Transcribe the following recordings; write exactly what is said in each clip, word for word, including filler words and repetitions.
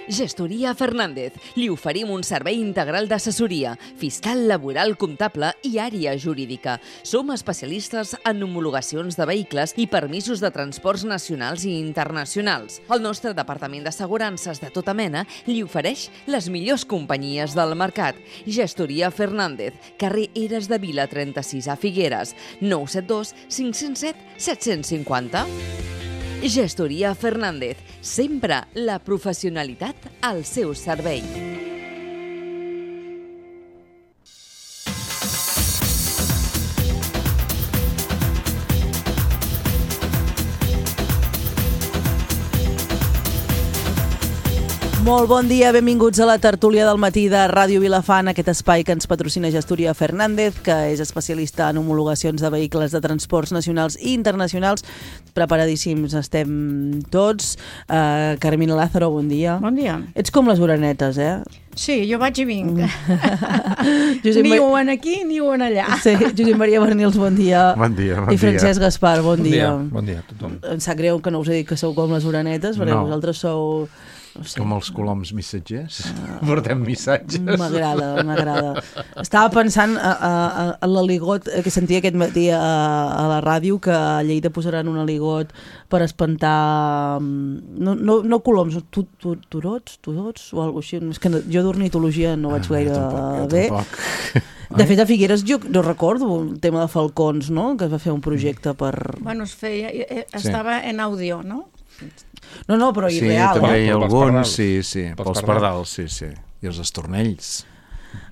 Gestoria Fernández. Li oferim un servei integral d'assessoria, fiscal, laboral, comptable i àrea jurídica. Som especialistes en homologacions de vehicles i permisos de transports nacionals i internacionals. El nostre departament d'assegurances de tota mena li ofereix les millors companyies del mercat. Gestoria Fernández, carrer Eres de Vila trenta-sis a Figueres, nou set dos cinc zero set set cinc zero. Gestoria Fernández, sempre la professionalitat al seu servei. Molt bon dia, benvinguts a la tertúlia del matí de Ràdio Vilafant, aquest espai que ens patrocina Gestoria Fernández, que és especialista en homologacions de vehicles de transports nacionals i internacionals. Preparadíssims estem tots. Uh, Carmina Lázaro, bon dia. Bon dia. Ets com les orenetes, eh? Sí, jo vaig i vinc. Ni ho en aquí ni ho en allà. Sí, Josep Maria Bernils, bon dia. Bon dia, bon I Francesc dia. Gaspar, bon, bon dia. dia. Bon dia a tothom. Em sap greu que no us he dit que sou com les orenetes, perquè No. vosaltres sou... No sé. Com els coloms missatgers. Uh, Portem missatges. M'agrada, m'agrada. Estava pensant a, a, a l'aligot que sentia aquest matí a, a la ràdio, que a Lleida posaran un aligot per espantar no, no, no coloms, tu, tu, turots, turots o alguna cosa així. És que no, jo d'ornitologia no vaig gaire Ah, tampoc, bé. tampoc. De fet, a Figueres jo no recordo el tema de falcons, no? Que es va fer un projecte per... Bueno, es feia, estava en àudio, no? No, no, però Sí, irreal. també hi ha Pels alguns, pardals. sí, sí. Pels Pels pardals, sí, sí. I els estornells.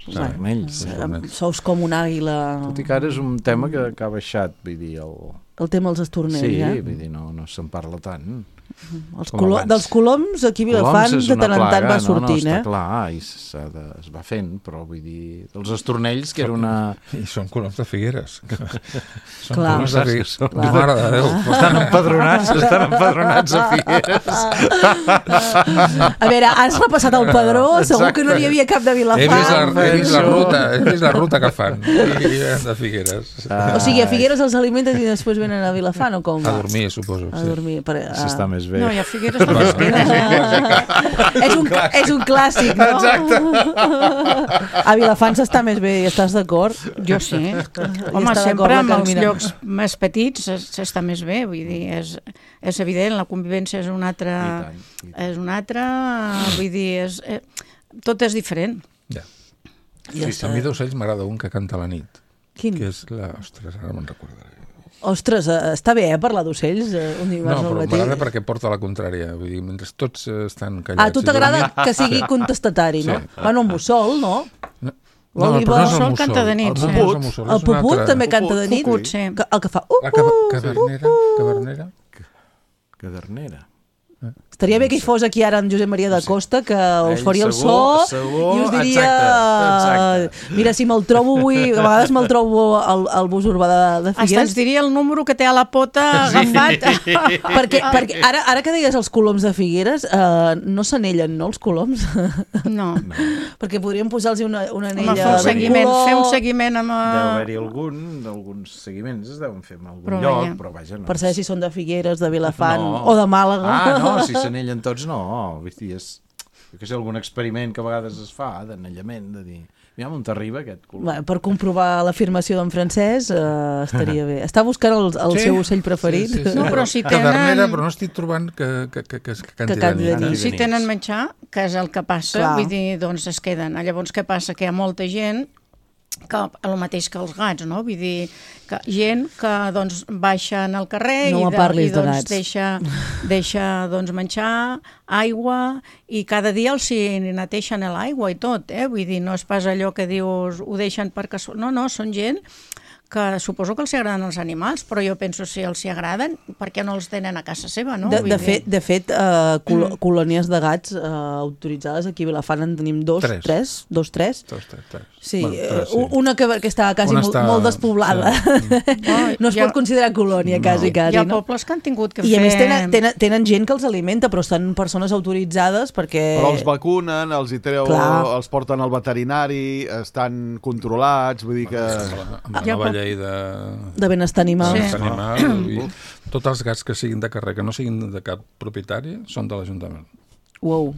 Els estornells. Eh, Sous com un àguila. Tot i que ara és un tema que, que ha baixat, vull dir, el... El tema dels estornells, Sí, eh? vull dir, no, no se'n parla tant. Els com colo abans. Dels coloms aquí a Vilafant Coloms és de una tant en tant plaga, va no, sortint, no, eh? està clar, i s'ha de, es va fent, però vull dir, els estornells, que era una... I són coloms de Figueres. Són Clar. coloms de Figueres. Clar. Mare de Déu. Estan empadronats, estan empadronats a Figueres. A veure, has repassat el padró, segur que no n'hi havia cap de He vist, la, Vilafant. he, vist la ruta, he vist la ruta que fan. I, i de Figueres. O sigui, a Figueres els alimenten i després venen a Vilafant, o com? A dormir, suposo. A Sí. dormir. Per, a... Si està més bé. No, i a Figueres no es queda. és, un, és un clàssic, no? Exacte. A Vilafant s'està més bé, i estàs d'acord? Jo sí. Home, està d'acord sempre la amb els Carmina. llocs més petits es- s'està més bé, vull dir, és, és evident, la convivència és una altra... I tant, i tant. És una altra, vull dir, és, eh, tot és diferent. Ja. Ja Sí, està. a mi d'ocells m'agrada un que canta a la nit. Quin? Que és la... Ostres, ara me'n recordaré. Ostres, eh, està bé, eh, parlar d'ocells eh, un No, dimarts al però matí. m'agrada perquè porta la contrària. Vull dir, mentre tots eh, estan callats... Ah, a tu i t'agrada dormint- que sigui contestatari, no? Sí. Bueno, un mussol, no? No, L'òliba- però no és el Mussol mussol. canta de nit, El sí. puput, és el mussol, El és un puput altre. també canta de nit? Cucut, sí. Que- El que fa... Uh, La cava- uh, cavernera, cavernera. Cadernera. Estaria bé que hi fos aquí ara en Josep Maria da Costa, que us Ell faria el segur, so segur, i us diria... exacte, exacte. Mira, si me'l trobo avui, a vegades me'l trobo al, al bus urbà de, de Hasta ens Figueres, diria el número que té a la pota agafat. perquè, perquè ara, ara que deies els coloms de Figueres, eh, no s'anellen, no, els coloms? No. Perquè podríem posar-los una, una Home, anella fer un de seguiment, color. fer un seguiment amb... Deu eh, haver-hi algun, alguns seguiments es deuen fer en algun Però lloc, veia. però vaja, no. Per saber si són de Figueres, de Vilafant No. o de Màlaga. Ah, no, si s'anellen tots, no. Vull dir, és, jo que sé, algun experiment que a vegades es fa, d'anellament, de dir, mira on t'arriba aquest color. Bé, per comprovar l'afirmació d'en Francesc, eh, estaria bé. Està buscant el, el Sí. seu ocell preferit. Sí, sí, sí. No, però si tenen- Cadernera, però no estic trobant que, que, que, que, que canti Que canti de de nit. nit. Si tenen menjar, que és el que passa, Clar. vull dir, doncs es queden. Llavors, què passa? Que hi ha molta gent que el mateix que els gats, no? Vull dir, que gent que doncs baixen al carrer No i, me parlis i de doncs gats. deixa, deixa doncs menjar, aigua, i cada dia els hi neteixen l'aigua i tot, eh? Vull dir, no és pas allò que dius ho deixen perquè... No, no, són gent que suposo que els agraden els animals, però jo penso si els hi agraden, per què no els tenen a casa seva, no? De, Vull de dir- fet, de fet uh, col colònies de gats uh, autoritzades aquí a Vilafant en tenim dos, Tres. tres, dos, tres. Dos, tres, tres. Sí, Bueno, tres, eh, una que, que està quasi Una molt, està- molt despoblada. sí. No es Hi ha- pot considerar colònia, quasi, Hi quasi, ha no? pobles que han tingut que I a fer... més tenen, tenen, tenen gent que els alimenta, però estan persones autoritzades perquè... Però els vacunen, els hi treu, Clar. els porten al veterinari, estan controlats, vull dir que... Amb la Ja, nova però- llei de... de benestar animal. Sí. benestar animal i tots els gats que siguin de carrer, que no siguin de cap propietari, són de l'Ajuntament. Uau.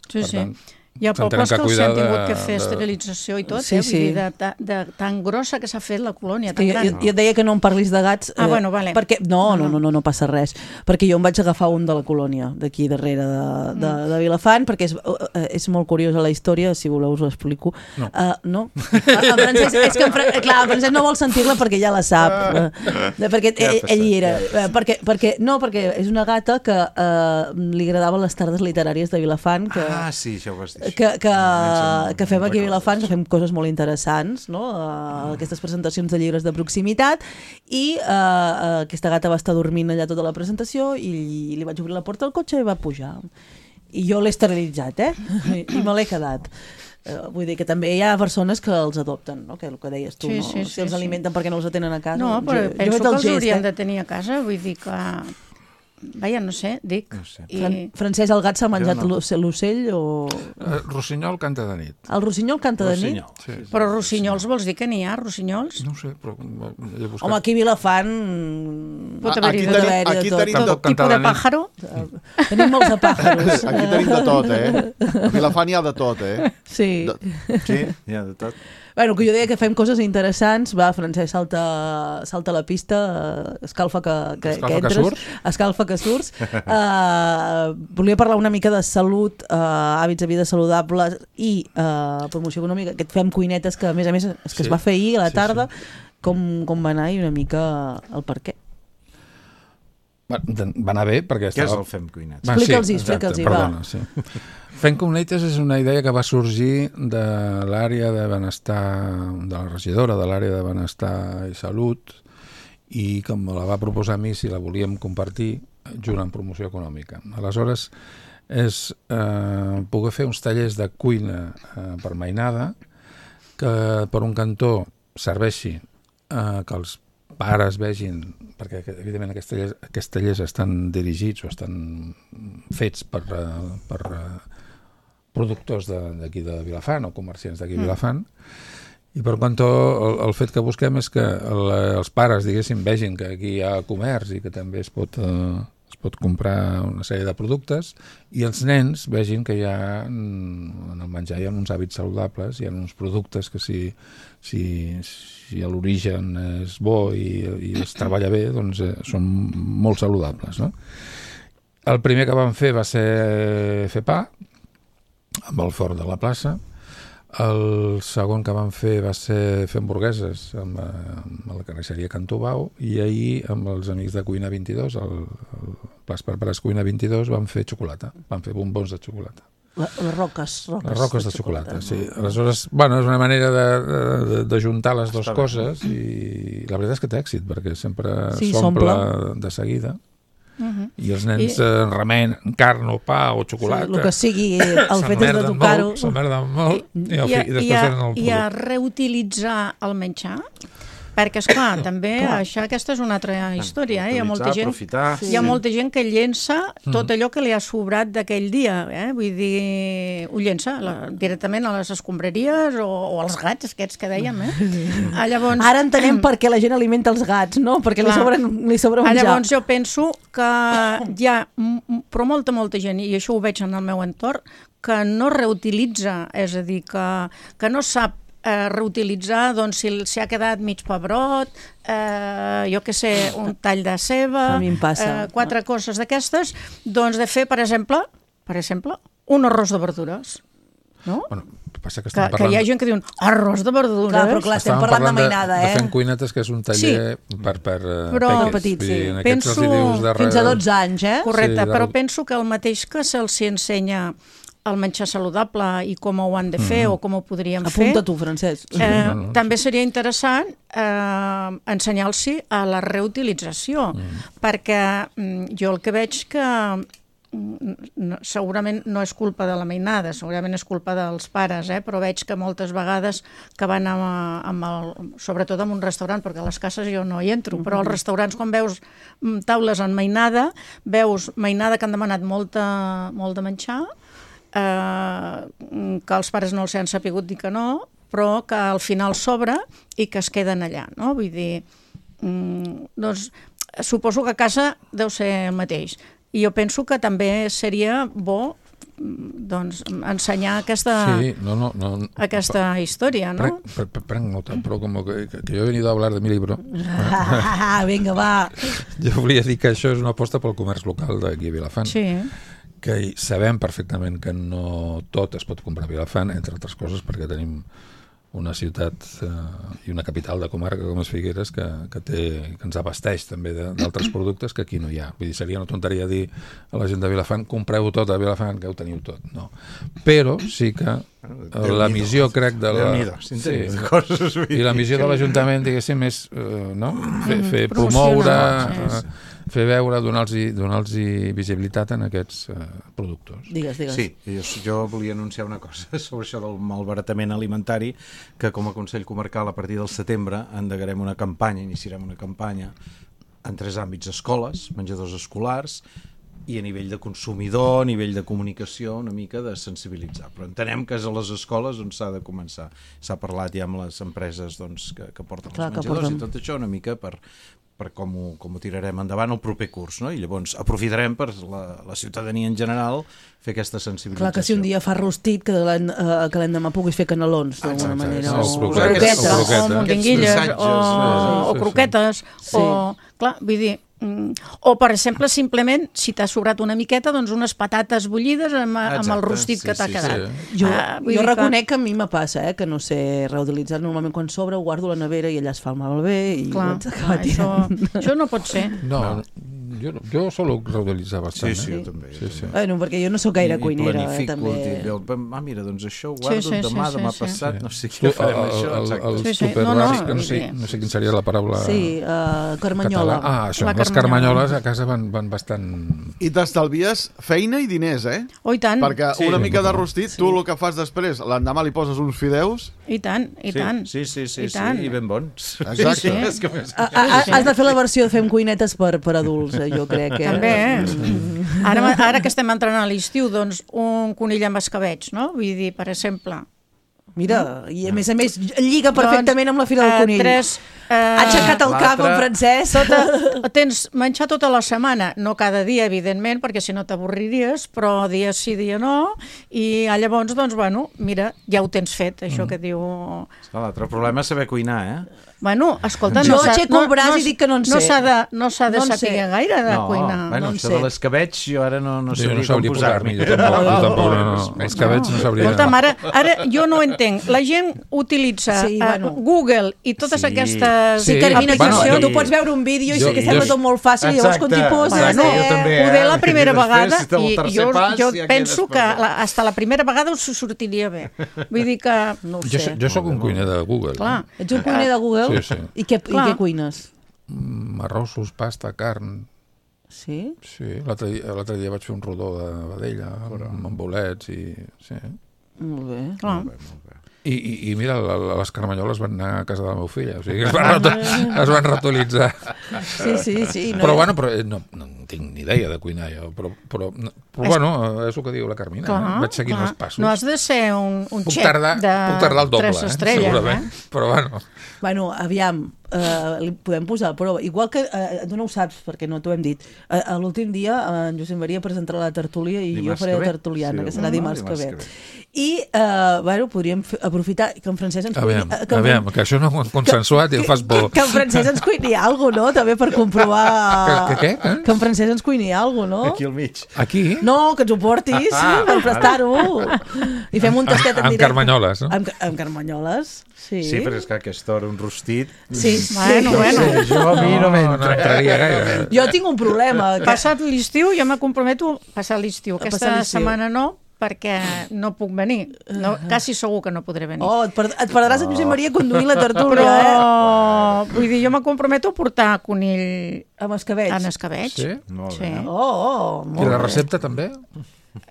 Sí, Per sí. tant, Hi ha s'han pobles que de els cuidar han tingut de- que fer de- esterilització i tot, Sí, eh? Vull sí. dir, de, de, de tan grossa que s'ha fet la colònia, Que tan jo, gran. jo, jo et deia que no em parlis de gats. Ah, bueno, vale. Perquè, no, no, No, no, no, no passa res. Perquè jo em vaig agafar un de la colònia, d'aquí darrere de, de, Mm. de Vilafant, perquè és, eh, és molt curiosa la història, si voleu us ho explico. No. Uh, no? En Francesc, és que en Fra... clar, en Francesc no vol sentir-la perquè ja la sap. Uh, perquè Ja ell, passa, ell hi era. ja Uh, perquè, perquè, no, perquè és una gata que uh, li agradaven les tardes literàries de Vilafant, que, Ah, sí, això ho vas dir. que, que, Comencen- que fem aquí a recordes. Vilafant, que fem coses molt interessants, no? Uh, aquestes presentacions de llibres de proximitat, i uh, uh, aquesta gata va estar dormint allà tota la presentació i li vaig obrir la porta del cotxe i va pujar. I jo l'he esterilitzat, eh? I me l'he quedat. Uh, vull dir que també hi ha persones que els adopten, no? Que el que deies tu, Sí, no? sí, Si sí, els sí. alimenten perquè no els tenen a casa. No, doncs però jo, jo penso he fet que el els gest, haurien eh? de tenir a casa, vull dir que... Vaja, no sé, dic. No sé. I... Fran Francesc, el gat s'ha menjat no. l'oce- l'ocell o... Eh, Rossinyol canta de nit. El rossinyol canta de nit? Rossinyol. Sí. Però rossinyols vols dir que n'hi ha, rossinyols? No ho sé, però he buscat. Home, aquí a Vilafant... Pot A- haver-hi aquí de tot. tenim, aquí tot. tenim de, Tampoc Tipus canta de de nit. pàjaro? Tenim molts de pàjaros. aquí tenim de tot, eh? A Vilafant hi ha de tot, eh? Sí. De, Sí, hi ha de tot. Bueno, que jo deia que fem coses interessants. Va, Francesc, salta, salta a la pista, eh, escalfa que, que, Escalfa que que entres. surts. Escalfa que surts. Uh, volia parlar una mica de salut, uh, hàbits de vida saludables i uh, promoció econòmica, que et fem cuinetes que, a més a més, és que Sí. es va fer ahir a la Sí, tarda. Com, com va anar i una mica el per què. Va, va anar bé, perquè Què és estava... el Fem Cuinets? Va, Explica'ls-hi, exacte, explica'ls-hi, va. perdona, sí. Fent Cuinetes és una idea que va sorgir de l'àrea de benestar, de la regidora de l'àrea de benestar i salut, i que me la va proposar a mi si la volíem compartir junt amb promoció econòmica. Aleshores, és eh, poder fer uns tallers de cuina eh, per mainada que per un cantó serveixi eh, que els pares vegin, perquè evidentment aquests tallers, aquests tallers estan dirigits o estan fets per, eh, per eh, productors d'aquí de, de Vilafant o comerciants d'aquí de Vilafant, i per quant el, el fet que busquem és que el, els pares, diguéssim, vegin que aquí hi ha comerç i que també es pot, eh, es pot comprar una sèrie de productes, i els nens vegin que hi ha, en el menjar hi ha uns hàbits saludables, hi ha uns productes que si, si, si l'origen és bo i, i es treballa bé, doncs eh, són molt saludables, no? El primer que vam fer va ser fer pa, amb el forn de la plaça. El segon que vam fer va ser fer hamburgueses amb, amb la carnisseria Cantobau, i ahir amb els amics de Cuina vint-i-dos, el, el Plas per Pares Cuina vint-i-dos, vam fer xocolata, vam fer bombons de xocolata. La, les roques, roques. Les roques de xocolata, sí. Aleshores, bueno, és una manera de, de, de juntar les dues coses, i la veritat és que té èxit, perquè sempre Sí, s'omple s'omple. de seguida. Uh-huh. I els nens I- eh, remenen carn o pa o xocolata. Sí, el que sigui, el fet és de S'emmerden tocar-ho. molt, s'emmerden molt, i, al I, fi, a, i després i, a, tenen el I a producte. reutilitzar el menjar, perquè, esclar, també això, aquesta és una altra història. Eh? Hi ha molta gent, aprofitar. hi ha molta gent que llença tot allò que li ha sobrat d'aquell dia. Eh? Vull dir, ho llença la, directament a les escombraries o, o als gats, aquests que dèiem. Eh? Ah, llavors, Ara entenem per què la gent alimenta els gats, no? Perquè li Clar. sobra, li sobra Ah, menjar. llavors jo penso que hi ha, m- m- però molta, molta gent, i això ho veig en el meu entorn, que no reutilitza, és a dir, que, que no sap eh, reutilitzar, doncs, si s'hi ha quedat mig pebrot, eh, jo què sé, un tall de ceba, A mi em passa. eh, quatre coses d'aquestes, doncs de fer, per exemple, per exemple, un arròs de verdures. No? Bueno, passa que Que, estem que parlant... hi ha gent que diuen arròs de verdures. Clar, però clar, estem Estàvem parlant de mainada, de, eh? de fent cuinetes, que és un taller per, per eh, Però- peques. petits, Vull dir, sí. en aquests Penso- els hi dius de Fins a re- dotze anys, eh? Correcte, Sí, del- però penso que el mateix que se'ls ensenya el menjar saludable i com ho han de fer o com ho podríem Apunta fer, tu, Francesc. eh, no, no, també seria interessant eh, ensenyar-los a la reutilització, perquè mm, jo el que veig que mm, no, segurament no és culpa de la mainada, segurament és culpa dels pares, eh? Però veig que moltes vegades que van amb, amb el, sobretot en un restaurant, perquè a les cases jo no hi entro, però als restaurants quan veus mm, taules en mainada, veus mainada que han demanat molta, molt de menjar, eh, que els pares no els han sapigut dir que no, però que al final sobra i que es queden allà, no? Vull dir, mm, doncs suposo que a casa deu ser el mateix. I jo penso que també seria bo doncs, ensenyar aquesta, Sí, no, no, no. aquesta història, no? Prenc, prenc, prenc nota, però com que, que yo he venido a hablar de mi libro, Ah, vinga, va. jo volia dir que això és una aposta pel comerç local d'aquí a Vilafant, Sí, que hi sabem perfectament que no tot es pot comprar a Vilafant, entre altres coses perquè tenim una ciutat eh, i una capital de comarca com és Figueres que, que, té, que ens abasteix també de- d'altres productes que aquí no hi ha. Vull dir, seria una tonteria dir a la gent de Vilafant compreu tot a Vilafant, que ho teniu tot. No. Però sí que eh, la missió, crec, de la... Déu-n'hi-do, si en tenim de coses. vull I la dir missió que- de l'Ajuntament, diguéssim, és eh, no? fer, fer Promocionar, promoure, sí. eh, fer veure, donar-los donar visibilitat en aquests eh, productors. Digues, digues. Sí, jo, jo volia anunciar una cosa sobre això del malbaratament alimentari, que com a Consell Comarcal a partir del setembre endegarem una campanya, iniciarem una campanya en tres àmbits: escoles, menjadors escolars, i a nivell de consumidor, a nivell de comunicació, una mica de sensibilitzar. Però entenem que és a les escoles on s'ha de començar. S'ha parlat ja amb les empreses doncs, que, que porten Clar, els que menjadors porten. i tot això una mica per per com ho, com ho tirarem endavant el proper curs, no? I llavors aprofitarem per la, la ciutadania en general fer aquesta sensibilització. Clar que si un dia fa rostit, que l'en- eh, que l'endemà puguis fer canelons, d'alguna Exacte, manera. sí, O, sí, o sí. croquetes. O o croqueta. mondinguilles, Aquests o, missatges, o sí, sí. croquetes, Sí. o... Clar, vull dir, mm, o per exemple, simplement, si t'ha sobrat una miqueta, doncs unes patates bullides amb, amb el Exacte, rostit sí, que t'ha sí, quedat. sí. Jo, Ah, vull jo dir que- reconec que... a mi me passa, eh, que no sé reutilitzar. Normalment quan sobra ho guardo a la nevera i allà es fa el malbé i Clar, ho haig d'acabar clar, això, tirant. això no pot ser. No, jo, jo solo reutilitzar bastant. Sí, sí, eh? jo també. Sí, sí. Bueno, perquè jo no sóc gaire I- i cuinera, eh, planifico, també. dic, ah, mira, doncs això ho guardo Sí, sí, demà, sí, demà sí, passat, Sí. no sé Tu, què farem el, això. el, exacte. el Sí, sí. super No, no, bàsic, que no, sé, sí. no sé quin seria la paraula Sí, uh, carmanyola. català. Ah, això, La les carmanyola. carmanyoles a casa van, van bastant... I t'estalvies feina i diners, eh? Oh, i tant, Perquè Sí. una mica de rostit, tu el que fas després, l'endemà li poses uns fideus... i tant, i Sí, tant. sí, sí, sí, I sí, tant. i ben bons. Exacte. Sí, és que més... A, a, has de fer la versió de Fem cuinetes per, per adults, eh, jo crec. Eh? També, eh? Ara, ara que estem entrant a l'estiu, doncs un conill amb escabeig, no? Vull dir, per exemple... Mira, i a més a més lliga perfectament amb la fira del eh, conill. Tres, eh, Ha aixecat el cap en francès. Tota, tens menjar tota la setmana, no cada dia, evidentment, perquè si no t'avorriries, però dia sí, dia no, i ah, llavors, doncs, bueno, mira, ja ho tens fet, això Mm. que diu... L'altre problema és saber cuinar, eh? Bueno, escolta, Jo no s'ha- aixeco el braç i dic que no en sé. No s'ha de, no s'ha de No en saber sé. gaire de no, cuinar. bueno, no en això sé. de l'escabeig jo ara no, no Jo sabria, no sabria com posar-m'hi, posar-m'hi. jo tampoc, jo tampoc, no, no. Els cabells no sabria... Escolta'm, ara, ara jo no ho entenc. La gent utilitza Sí, sí, bueno. bueno. Google i totes Sí. aquestes Sí, Sí, Carmina, bueno, aquí jo- tu pots veure un vídeo i jo- sí que jo- sembla tot molt fàcil, i llavors quan t'hi Exacte, poses... exacte, eh? jo també, Poder eh? la primera I després, vegada si té el i tercer jo, pas, jo ja penso quedes que perdut. la, hasta la primera vegada us sortiria bé. Vull dir que... No ho Jo, sé. jo sóc un cuiner de Google. Clar. Ets un cuiner de Google? Sí, sí. I què, i Clar. què cuines? Mm, arrossos, pasta, carn... Sí? Sí, l'altre dia, l'altre dia vaig fer un rodó de vedella amb, amb bolets i... Sí. Molt bé. Clar. I, i, i mira, la, la, les carmanyoles van anar a casa de la meva filla, o sigui, es van, reto, es van reutilitzar. Sí, sí, sí. No, Però bueno, però, eh, no, no tinc ni idea de cuinar jo, però, però, no, però bueno, eh, és el que diu la Carmina, Clar, eh? Vaig seguint clar. els passos. No has de ser un, un puc, xef tardar, de puc tardar el doble, tres eh? estrelles, segurament, eh? però bueno. Bueno, aviam, eh, li podem posar a prova. Igual que, eh, tu no ho saps, perquè no t'ho hem dit, eh, a l'últim dia eh, en Josep Maria presentarà la tertúlia i Dimarts jo faré que la ve. tertuliana, Sí, que serà ah, dimarts, dimarts que que ve. ve. I, eh, bueno, podríem fer, aprofitar que en Francesc ens Aviam, cuini... eh, que en- aviam, que això no ho hem consensuat i em fas por. Que en Francesc ens cuini alguna cosa, no? També per comprovar... Que- que què? Eh? Que en Francesc ens cuini alguna cosa, no? Aquí al mig. Aquí? No, que ens ho portis, per prestar-ho. I fem un tastet en Amb directe. carmanyoles, no? Amb, amb carmanyoles, sí. Sí, però és que a aquesta hora un rostit... Sí, Bueno, sí. bueno. Sí, jo a mi no No, no m'entra. entraria gaire. Jo tinc un problema. Que... Passat l'estiu, jo me comprometo a passar l'estiu. A Aquesta passar l'estiu. setmana no, perquè no puc venir. No, quasi segur que no podré venir. Oh, et, per, et perdràs en Josep Maria conduint la tertúlia, Però, eh? vull dir, jo me comprometo a portar conill Amb escabeig. en escabeig. Sí? Molt Sí. bé. Oh, oh, I molt la bé. recepta també?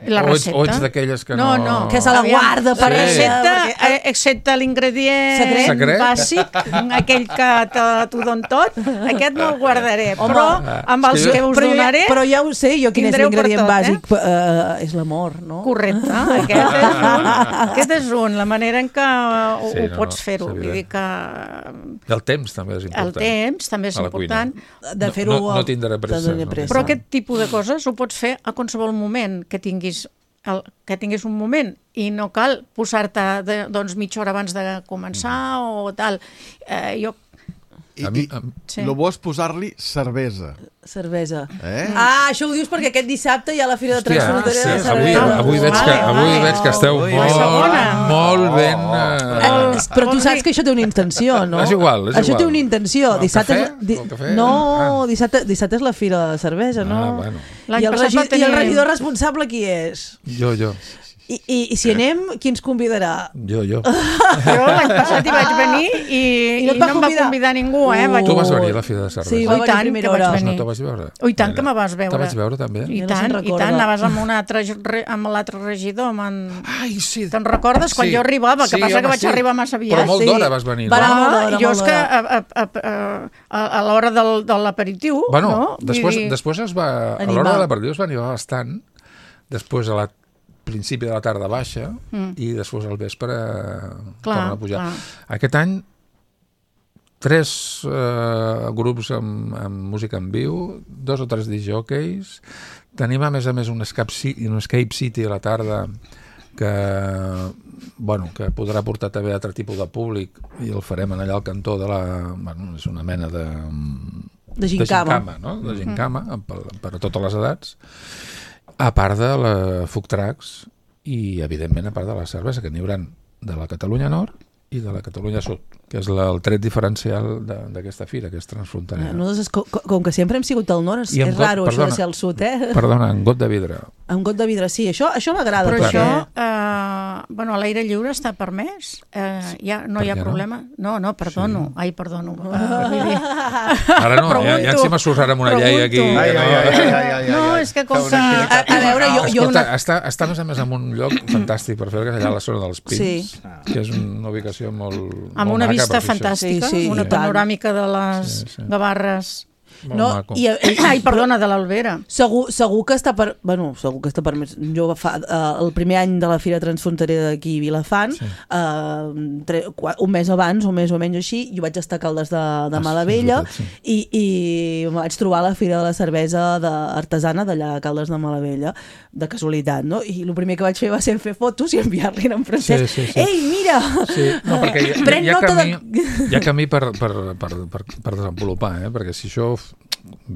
La o ets, recepta. o ets d'aquelles que no, no... no. Que se la Aviam, guarda per la ella, recepta, perquè- eh, excepte l'ingredient Secret? Secret? bàsic, aquell que te- t'ho don tot, aquest no el guardaré, Home, però amb és els que jo- que us però, jo, donaré... ja, però ja ho sé, jo quin és tindreu per l'ingredient tot, bàsic. Eh? és l'amor, no? Correcte, aquest és un, aquest és un, la manera en què ho, Sí, ho no, pots no, fer-ho. és Vull evident. dir que I el temps també és important. el temps també és a la important, cuina. De fer-ho... No, no, no tindré pressa. de tenir no. pressa. però aquest tipus de coses ho pots fer a qualsevol moment que tinguis el, que tingués un moment i no cal posar-te de, doncs, mitja hora abans de començar mm. o tal. Eh, jo I, A mi- i, a- Sí. lo bo és posar-li cervesa. Cervesa. Eh? Ah, això ho dius perquè aquest dissabte hi ha la Fira de Hòstia, Transfrontera sí, de avui, Cervesa. avui, veig que, Vale, avui vale. veig que esteu Ui, molt, segona. molt ben... Eh, Eh, però tu saps que això té una intenció, no? És igual, és Això igual. té una intenció. El Dissabte, cafè? és- di- El cafè? No, Ah. dissabte, dissabte és la Fira de Cervesa, no? Ah, bueno. L'any I el, passat regi va tenir- I el regidor responsable qui és? Jo, jo, I, i, i si anem, qui ens convidarà? jo, jo. Jo l'any passat hi vaig venir i, I no et i va no em va convidar? convidar ningú, eh? Uh. Vaig... Tu vas venir a la Fira de Cervesa. Sí, Oh, va i venir a tant, primera que vaig hora. No venir. te vas veure? Oh, i tant que me vas veure. Te vaig veure també? I Ja no tant, se'n i recorda. tant, anaves amb un altre, re- amb l'altre regidor. amb En... Ai, sí. Te'n recordes? Quan Sí. jo arribava, que Sí, passa que home, vaig sí. arribar massa aviat. Però molt Sí. d'hora vas venir, Va no? anar molt Ah, d'hora, jo molt és que d'hora. a, a, a, a, a l'hora del, de l'aperitiu... Bueno, no? Vull després, dir- després es va... A Animar. l'hora de l'aperitiu es va animar bastant, després a la principi de la tarda baixa Mm. i després al vespre Clar, torna a pujar. clar. Aquest any tres eh, grups amb, amb música en viu, dos o tres disjockeys, tenim a més a més un Escape City, un Escape City a la tarda que, bueno, que podrà portar també altre tipus de públic i el farem en allà al cantó de la... Bueno, és una mena de... De gincama. gincama, no? De gincama, per, per a totes les edats, a part de la food trucks i, evidentment, a part de la cervesa, que n'hi haurà de la Catalunya Nord i de la Catalunya Sud, que és la, el tret diferencial de- d'aquesta fira, que és transfronterera. Nosaltres, com, com que sempre hem sigut al nord, és, I amb és got- raro això perdona. de ser al sud, eh? Perdona, en got de vidre. Amb got de vidre, sí, això, això m'agrada. Però perquè- això, eh, bueno, a l'aire lliure està permès? Eh, ja, no Per hi ha què no? problema? No, no, perdono. Ai, perdono. Uh, vull dir... Ara no, ja, ja si m'assossarà amb una llei aquí. Pregunto. Ai, que ai, no. ai, ai, ai, ai, No, ai. és que com Fa que... una A, a veure, jo, jo Escolta, una... està, està a més a més en un lloc fantàstic per fer, que és allà a la zona dels Pins, Sí. que és una ubicació molt, Amb molt una maca vista per fer això. fantàstica, Sí, sí, una i tant. panoràmica de les Sí, sí. Gavarres. Molt No, maco. i, i, Ai, perdona, de l'Albera. Segur, segur que està per... Bueno, segur que està per més... Jo fa, eh, el primer any de la Fira Transfronterera d'aquí a Vilafant, Sí. eh, tre, qua- un mes abans, o més o menys així, jo vaig estar a Caldes de, de Ah, Malavella sí, és veritat, i, i em vaig trobar a la Fira de la Cervesa de, artesana d'allà a Caldes de Malavella, de casualitat, no? I el primer que vaig fer va ser fer fotos i enviar-li en francès. Sí, sí, sí. Ei, mira! Sí, no, perquè hi, hi, Pren hi, ha, nota camí, de... hi ha camí per, per, per, per, per desenvolupar, eh? Perquè si això f-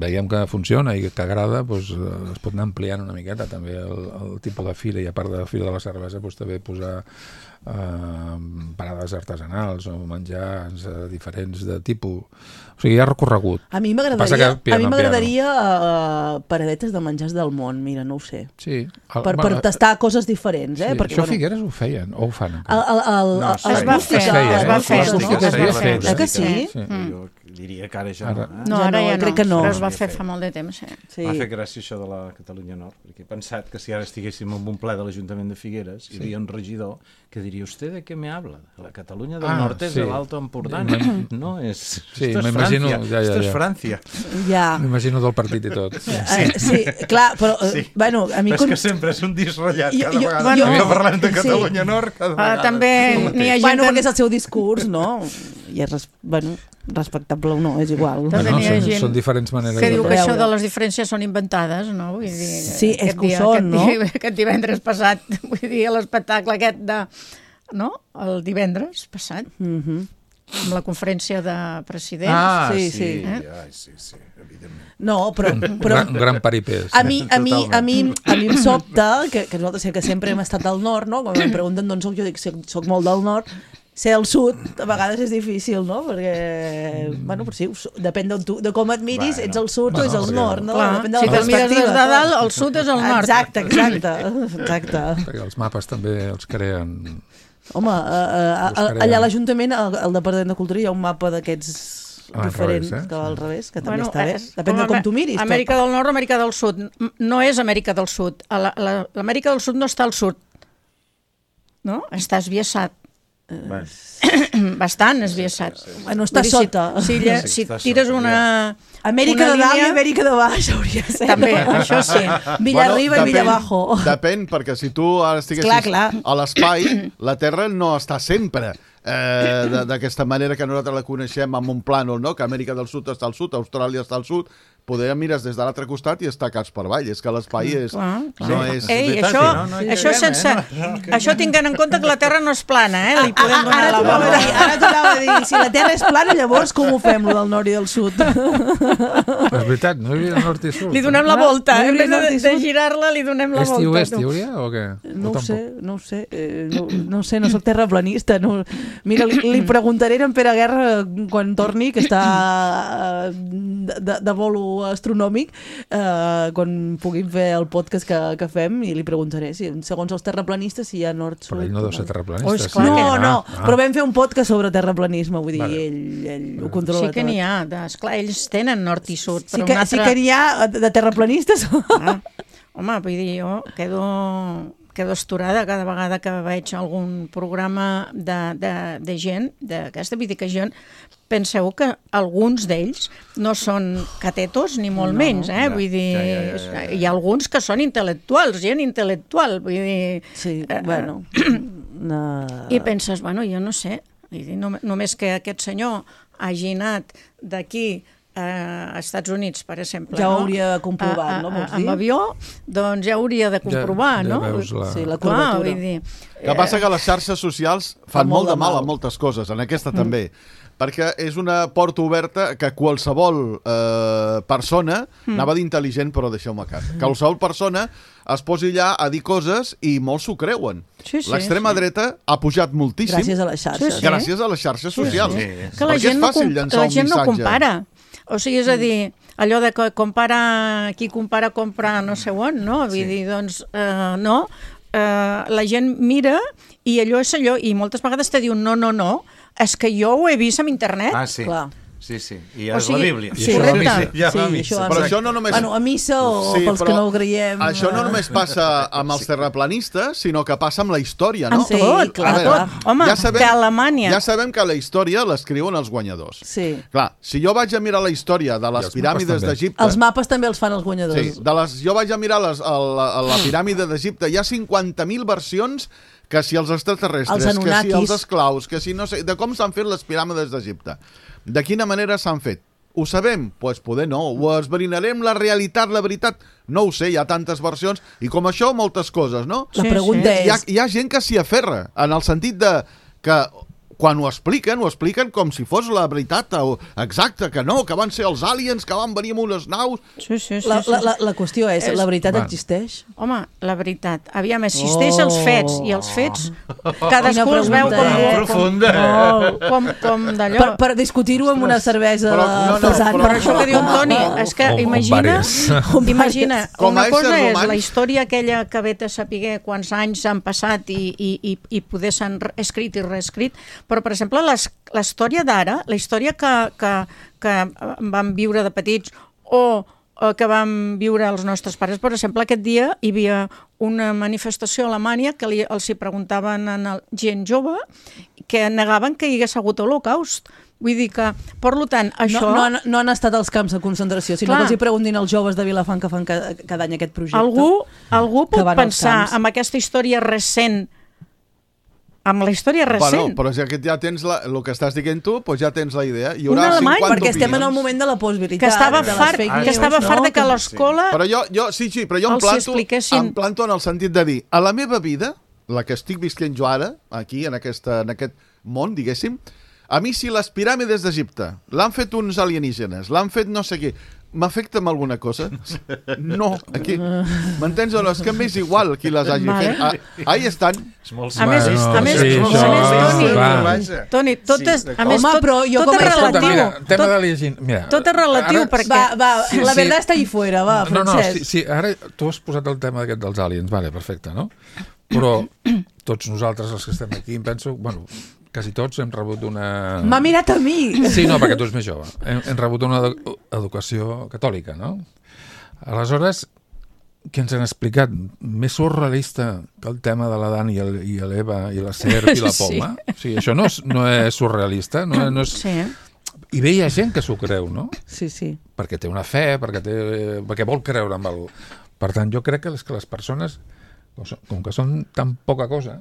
veiem que funciona i que agrada, doncs, eh, es pot anar ampliant una miqueta també el, el tipus de fira, i a part de la fira de la cervesa doncs, també posar eh, parades artesanals o menjars eh, diferents de tipus. O sigui, hi ha recorregut. A mi Passa m'agradaria que piano, a mi m'agradaria uh, paradetes de menjars del món, mira, no ho sé. Sí. El, Per, per tastar coses diferents, eh? sí, Perquè, això a bueno, Figueres ho feien, o ho fan el, encara. el, el, No, el, es els va acústica, fer, els es va acústica, fer, els no? acústica Es va fer. Eh que sí? Sí. Jo diria que ara ja Ara. no. Eh? No, Ja ara no, ja no. crec que no. Però es va S'havia fer fet. fa molt de temps, sí. Sí. M'ha fet gràcia això de la Catalunya Nord, perquè he pensat que si ara estiguéssim en un ple de l'Ajuntament de Figueres, hi havia un regidor que diria, ¿usted de què me habla? La Catalunya del Ah, Nord és sí. de l'Alto Empordà. M'im- No, és... Sí, esto es m'imagino- Francia. ja, ja, Esto ja. es Francia. Ja. M'imagino del partit i tot. Sí. Eh, sí, clar, però, eh, Sí. bueno, a mi... Però és con- que sempre és un disc ratllat, Jo- cada jo- vegada bueno, que parlem de sí. Catalunya Nord, cada Uh, vegada. també n'hi ha gent Bueno, que... perquè és el seu discurs, no? I és, res, bueno, respectable o no, és igual. També Bueno, n'hi ha són, gent són diferents maneres que de diu que veure. això de les diferències són inventades, no? Vull dir, Sí, és aquest que ho dia- són, aquest no? Dia, aquest divendres passat, vull dir, l'espectacle aquest de... No? El divendres passat, Mhm. amb la conferència de presidents. Ah, Sí, sí, sí. sí, Eh? ai, sí, sí, evidentment. No, però... Un però gran, un gran paripés. a mi, a mi, a Totalment. mi, a mi em sobta, que, que nosaltres que sempre hem estat al nord, no? Quan em pregunten d'on soc, jo dic soc, soc molt del nord, ser al sud a vegades és difícil, no? Perquè, bueno, però sí, ho so- depèn de, tu, de com et miris, Bueno. ets al sud Bueno, o ets al perquè- nord, no? Clar, Depèn de si la te'l mires des de perspectiva. dalt, el sud és el nord. Exacte, exacte, exacte. Perquè els mapes també els creen... Home, uh, uh, Buscaré. allà a l'Ajuntament, al, al Departament de Cultura, hi ha un mapa d'aquests Ah, al diferents, revés, eh? que va al revés, que també Bueno, està bé. és- Depèn de com com Am- tu miris. Amèrica del Nord o Amèrica del Sud. M- No és Amèrica del Sud. A la- la- L'Amèrica del Sud no està al sud. No? Està esbiaixat. Bueno, Bastant esbiaixat. Bueno, està Vull dir, si- sota. Si, si, Sí, si està tires sota, una... Amèrica una de dalt i línia- Amèrica de baix, hauria de ser. També, això sí. Villarriba Bueno, i Villabajo. Depèn, perquè si tu ara estiguessis Clar, clar. a l'espai, la Terra no està sempre eh, de- d'aquesta manera que nosaltres la coneixem amb un plànol, no? Que Amèrica del Sud està al sud, Austràlia està al sud, poder mires des de l'altre costat i estar caps per avall. És que l'espai és... Clar, clar. No és... Ei, veritat, això, no? No hi això caguem, sense... eh? No, no, que- Això tinguent en compte que la Terra no és plana, eh? Li podem donar Ara la t'anava a volta. dir, ara t'anava a dir, si la Terra és plana, llavors com ho fem, lo del nord i del sud? És veritat, no hi havia nord i sud. Li donem la No, volta. no hi En hauria vez nord i de, de sud. girar-la, li donem la Est i volta. oest hi hauria o què? No O ho sé, tampoc? no ho sé, eh, no, no ho sé, no soc terraplanista. No. Mira, li, li preguntaré a en Pere Guerra quan torni, que està eh, de, de, de volo astronòmic, eh, quan puguin fer el podcast que, que fem, i li preguntaré si, segons els terraplanistes, si hi ha nord-sud. Però ell no deu ser terraplanista. Oh, és sí. clar que No, no, Ah, però vam fer un podcast sobre terraplanisme, vull dir, Vale. ell, ell ho controla Sí que tot. n'hi ha. De, esclar, ells tenen nord i sud, Sí però que, un altre... sí que n'hi ha de terraplanistes. Ah, home, vull dir, jo quedo, quedo esturada cada vegada que veig algun programa de, de, de gent, d'aquesta, vull dir que gent, penseu que alguns d'ells no són catetos ni molt No, menys, eh? ja, vull dir, ja, ja, ja, ja, ja. hi ha alguns que són intel·lectuals, gent intel·lectual, vull dir... Sí, eh, bueno. No. I penses, bueno, jo no sé, vull dir, no, només que aquest senyor hagi anat d'aquí a Estats Units, per exemple, Ja ho no? hauria comprovat, a, a, no, vols a, dir? Amb avió, doncs ja hauria de comprovar, ja no? veus la- Sí, la Clar, curvatura. vull dir... Que passa que les xarxes socials fan molt molt de de mal mal. a moltes coses, en aquesta també. Perquè és una porta oberta que qualsevol eh, persona, anava d'intel·ligent però deixeu-me casa, qualsevol persona es posi allà a dir coses i molts s'ho creuen. Sí, sí, L'extrema sí. dreta ha pujat moltíssim Gràcies a les xarxes. Sí, sí. gràcies a les xarxes socials. sí. Que la Perquè gent, és no, fàcil com, llançar la un gent no missatge. compara. O sigui, és a dir, allò de que compara, qui compara, compra no sé on, no? Vull Sí. dir, doncs, eh, no. Eh, la gent mira i allò és allò, i moltes vegades te diuen no, no, no, és que jo ho he vist en internet. Ah, sí. Clar. Sí, sí. I O és sigui, la Bíblia. sí, I això va a missa. correcte. Ja va a Sí, missa. això va a Però missa. això no només... Bueno, a missa o Sí, pels però que no ho creiem... Això no eh, només passa amb els terraplanistes, sinó que passa amb la història, no? Amb Sí, tot, clar, amb A veure, tot. Home, ja sabem- que a Alemanya... Ja sabem que la història l'escriuen els guanyadors. Sí. Clar, si jo vaig a mirar la història de les els piràmides mapes també. d'Egipte... Els mapes també els fan els guanyadors. Sí, de les, jo vaig a mirar les, a la, a la piràmide d'Egipte, hi ha cinquanta mil versions que si els extraterrestres, Els que si Anunnakis. els esclaus, que si no sé... De com s'han fet les piràmides d'Egipte. De quina manera s'han fet. Ho sabem? Doncs pues poder no. Ho esbrinarem la realitat, la veritat? No ho sé, hi ha tantes versions. I com això, moltes coses, no? La Sí, pregunta sí. Hi ha, és... hi ha gent que s'hi aferra, en el sentit de que quan ho expliquen, ho expliquen com si fos la veritat o exacta, que no, que van ser els aliens, que van venir amb unes naus... Sí, sí, sí, La, sí. la, la, la qüestió és, És- la veritat Va. existeix? Home, la veritat. Aviam, existeix Oh. els fets, i els fets Quina cadascú els veu pregunta, com, eh? com, Profunda. com, com, com d'allò. Per, per discutir-ho amb una cervesa Però- no, no, pesant. però- Per això que diu en Toni, és que O- o imagina, vàries. imagina Com a una cosa éssers és humans- la història aquella que ve a saber quants anys han passat i, i, i, i poder s'han re- escrit i reescrit, però per exemple les, la història d'ara, la història que, que, que vam viure de petits o o que vam viure els nostres pares. Per exemple, aquest dia hi havia una manifestació a Alemanya que li, els hi preguntaven a el, gent jove que negaven que hi hagués hagut holocaust. Vull dir que, per tant, això... No, no, han, no han estat als camps de concentració, sinó Clar. que els hi preguntin als joves de Vilafant que fan cada, cada any aquest projecte. Algú, algú que pot van als pensar camps. amb aquesta història recent, amb la història Bueno, recent. però ja que ja tens la, el que estàs dient tu, doncs ja tens la idea. Hi Un haurà alemany, cinquanta Perquè estem en el opinions. moment de la postveritat. que estava de les fart, fake que news, estava no? fart de que a Que- l'escola... Però jo, jo, sí, sí, però jo em Els planto, expliquessin. em planto en el sentit de dir, a la meva vida, la que estic visquent jo ara, aquí, en, aquesta, en aquest món, diguéssim, a mi si les piràmides d'Egipte l'han fet uns alienígenes, l'han fet no sé què, m'afecta amb alguna cosa? No, aquí. M'entens o no? És que m'és igual qui les hagi Vale. fet. Ah, ahí estan. És molt A més, Bueno, a més, sí, a això, més, Toni, va. Toni, tot Sí, és, a d'acord. més, Home, tot, però jo tot com és a- Escolta, relatiu. mira, tema tot, de llegint. Mira, tot és relatiu, ara- perquè... Va, va, Sí, la sí. veritat està ahí fuera, va, No, no, Francesc. sí, sí, ara tu has posat el tema aquest dels aliens, vale, perfecte, no? Però tots nosaltres, els que estem aquí, em penso, bueno, quasi tots hem rebut una... M'ha mirat a mi. Sí, no, perquè tu ets més jove. Hem, hem rebut una edu educació catòlica, no? Aleshores, què ens han explicat? Més surrealista que el tema de l'Adam i el- i l'Eva i la serp i la Sí. poma? O sigui, això no és, no és surrealista, no, no és... Sí. I bé, hi ha gent que s'ho creu, no? Sí, sí. Perquè té una fe, perquè, té, perquè vol creure en algú. Per tant, jo crec que les, que les persones, com so- com que són tan poca cosa,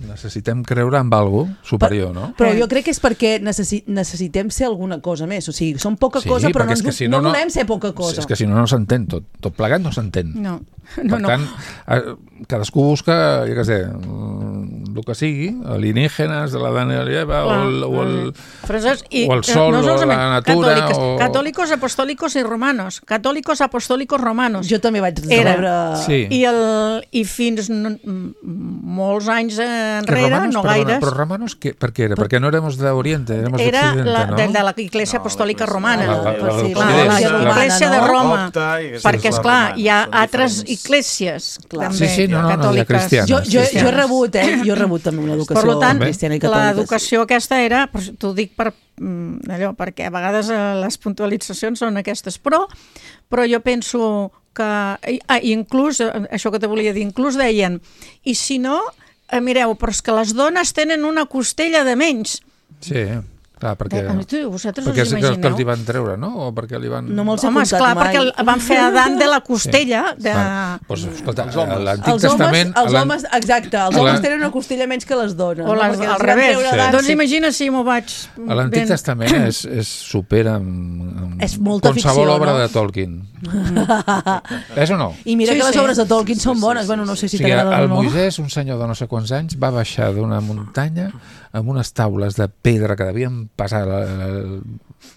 necessitem creure en algo superior, no? Però jo crec que és perquè necessi necessitem ser alguna cosa més. O sigui, som poca Sí, cosa, però no, perquè és ens, que si no, no, no- volem ser poca Sí, cosa. és que si no, no s'entén tot. Tot plegat no s'entén. No, Per no, no. tant, eh, cadascú busca, jo què sé, mm, el que sigui, alienígenes de la Daniel Lleva o el, o el, Frases, i, o el sol, eh, o solament la natura, catòliques, o- Catòlicos, apostólicos i romanos. Catòlicos, apostólicos, romanos. Jo també vaig Era. rebre... Sí. I, el, I fins no, m- molts anys enrere, Romanos, no perdona, gaires, però Romanos, ¿qué, ¿per qué era? Perquè no éramos de Oriente, éramos de era Occidente, la, ¿no? de, de la Iglesia No, Apostòlica la- Romana. la- la- la- Clar, l'Occident, la, la- Iglesia de no? Roma. Copta i aquesta Perquè, és la esclar, romana, hi ha són altres diferents. iglésies Clar. també, Sí, sí, no, no, no, hi ha catòliques. cristianes. Jo, jo, jo he cristianes. rebut, eh? Jo he rebut també una educació Per tant, cristiana i catòlica. l'educació aquesta era, però t'ho dic per mm, allò, perquè a vegades eh, les puntualitzacions són aquestes, però, però jo penso que, i- ah, inclús, eh, això que te volia dir, inclús deien, i si no, eh, mireu, però és que les dones tenen una costella de menys. Sí, clar, perquè... Eh, tu, vosaltres Perquè us és que, que els imagineu? hi van treure, no? O perquè li van... No me'ls he Home, apuntat esclar, mai. perquè el- van fer Adán de la costella. De... Vale. Pues, escolta, Els homes. l'Antic Els homes, Testament... els l'an- homes, exacte, els a homes la- tenen una costella menys que les dones. O no? les, Perquè al els van revés. treure Sí. d'Adam, Doncs sí. imagina si m'ho vaig... A l'Antic ben- Testament és, és supera amb, amb És molta qualsevol ficció, obra no? de Tolkien. És o no? I mira Sí, que les sí. obres de Tolkien són bones. Bueno, no sé O si sigui, t'agraden el o no. Moisès, un senyor de no sé quants anys, va baixar d'una muntanya amb unes taules de pedra que devien passar la, la,